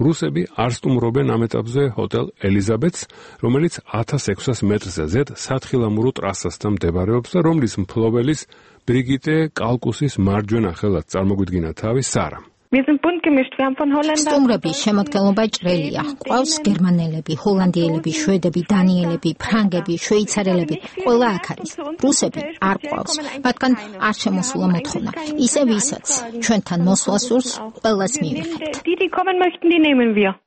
რუსები არ სტუმრობენ ამ ეტაპზე ჰოტელ ელიზაბეთს, რომელიც ათას ექვსას მეტრზე ზედ სათხილამურო ტრასასთან მდებარეობს და რომლის მფლობელის ბრიგიტე კალკუსის მარჯვენა ხელად წარმოგვიდგინა თავი სარა. სტუმრების შემოდგენობა ჭრელია. ყავს გერმანელები, ჰოლანდიელები, შვედები, დანიელები, ფრანგები, შვეიცარელები. ყველა აქ არის. რუსები არ ყავს. მათგან არ შემოსულა მოთხოვნა. ისე ვისაც ჩვენთან მოსვლა სურს, ყველას მივიღებთ.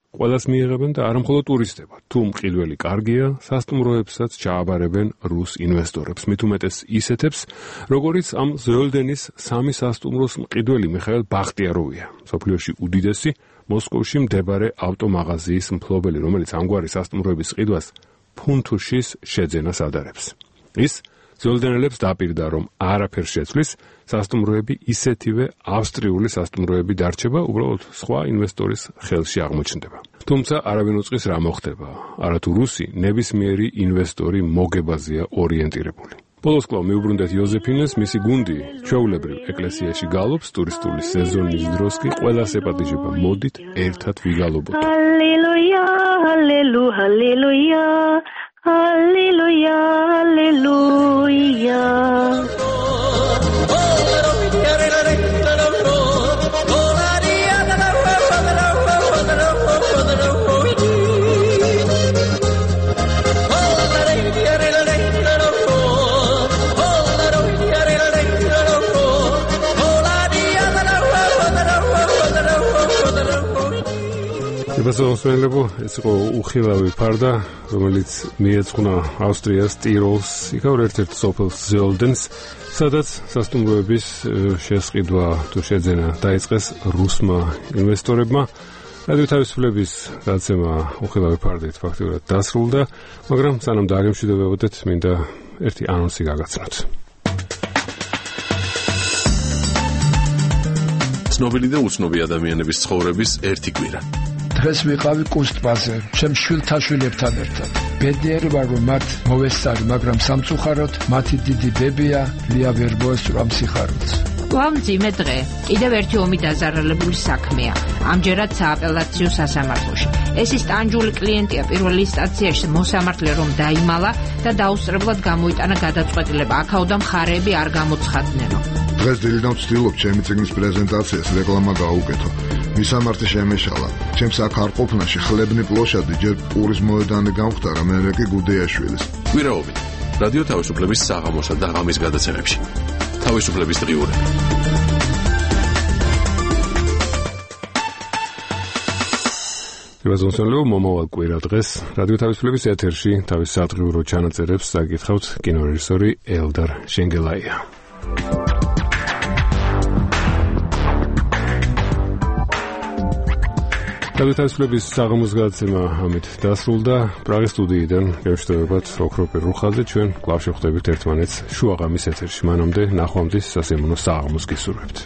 ყველას მიიღებენ და არა მხოლოდ ტურისტებად. თუ მყიდველი კარგია, სასტუმროებსაც ჩააბარებენ რუს ინვესტორებს, მით უმეტეს ისეთებს, როგორიც ამ ზოლდენის სამი სასტუმროს მყიდველი მიხაილ ბახტიაროვია, მსოფლიოში უდიდესი მოსკოვში მდებარე ავტომაღაზიის მფლობელი, რომელიც ამგვარი სასტუმროების ყიდვას ფუნთუშის შეძენას ადარებს. ის ზოლდენელებს დაპირდა, რომ არაფერ შეცვლის, სასტუმროები ისეთივე ავსტრიული სასტუმროები დარჩება, უბრალოდ სხვა ინვესტორის ხელში აღმოჩნდება. თუმცა არავინ უწყის რა მოხდება, არათუ რუსი ნებისმიერი ინვესტორი მოგებაზეა ორიენტირებული. ბოლოს კვლავ მიუბრუნდეთ იოზეფინეს, მისი გუნდი ჩვეულებრივ ეკლესიაში გალობს, ტურისტული სეზონის დროს კი ყველას ეპატიჟება, მოდით ერთად ვიგალობოთ. ჰალელუია, ჰალელუ, ჰალელუია. Halleluja, Halleluja. Ებასო მოსმენლებო, ეს იყო უხილავი ფარდა, რომელიც მიეძღვნა ავსტრიას ტიროლს, იქაურ ერთ-ერთ სოფელს ზოლდენს, სადაც სასტუმროების შესყიდვა თუ შეძენა დაიწყეს რუსმა ინვესტორებმა. რადიო თავისუფლების გაცემა უხილავი ფარდით ფაქტიურად დასრულდა, მაგრამ სანამ დააგემშვიდობებოდეთ, მინდა ერთი ანონსი გაგაცნოთ. ცნობილი და უცნობი ადამიანების ცხოვრების ერთი კვირა. დღეს ვიყავი კუსტბაზე, ჩემ შვილთაშვილებთან ერთად. ბედნიერი ვარ, რომ მათ მოვესწარი, მაგრამ სამწუხაროდ მათი დიდი ბებია ლია ვერ მოესწრო ამ სიხარულს. ვამძიმე დღე. კიდევ ერთი ომი დაზარალებული საქმეა. ამჯერად სააპელაციო სასამართლოში. ეს ის ტანჯული კლიენტია პირველ ინსტანციაში მოსამართლე რომ დაიმალა და დაუსწრებლად გამოიტანა გადაწყვეტილება. აქაოდა მხარეები არ გამოცხადნენო. დღეს დილიდან ვცდილობ ჩემი წიგნის პრეზენტაციას რეკლამა გაუკეთო. მისამართი შემეშალა. ჩემს აქ არ ყოფნაში ხლებნი პლოშადი ჯერ პურის მოედანი გამختარა, მერე კი გუდეაშვილის. კვირაობით რადიო თავისუფლების საღამოსა და ღამის გადაცემებში. თავისუფლების დღიურები. დივაზონსონლო მომავალ კვირა დღეს რადიო თავისუფლების ეთერში თავის სადღიურო ჩანაწერებს წაკითხავთ კინორეჟისორი ელდარ შენგელაია. რადიო თავისუფლების საღამოს გადაცემა ამით დასრულდა. პრაღის სტუდიიდან გემშვიდობებათ ოქროპირ რუხაძე, ჩვენ კვლავ შევხვდებით ერთმანეთს შუაღამის ეთერში. მანამდე ნახვამდის სასიამოვნო საღამოს გისურვებთ.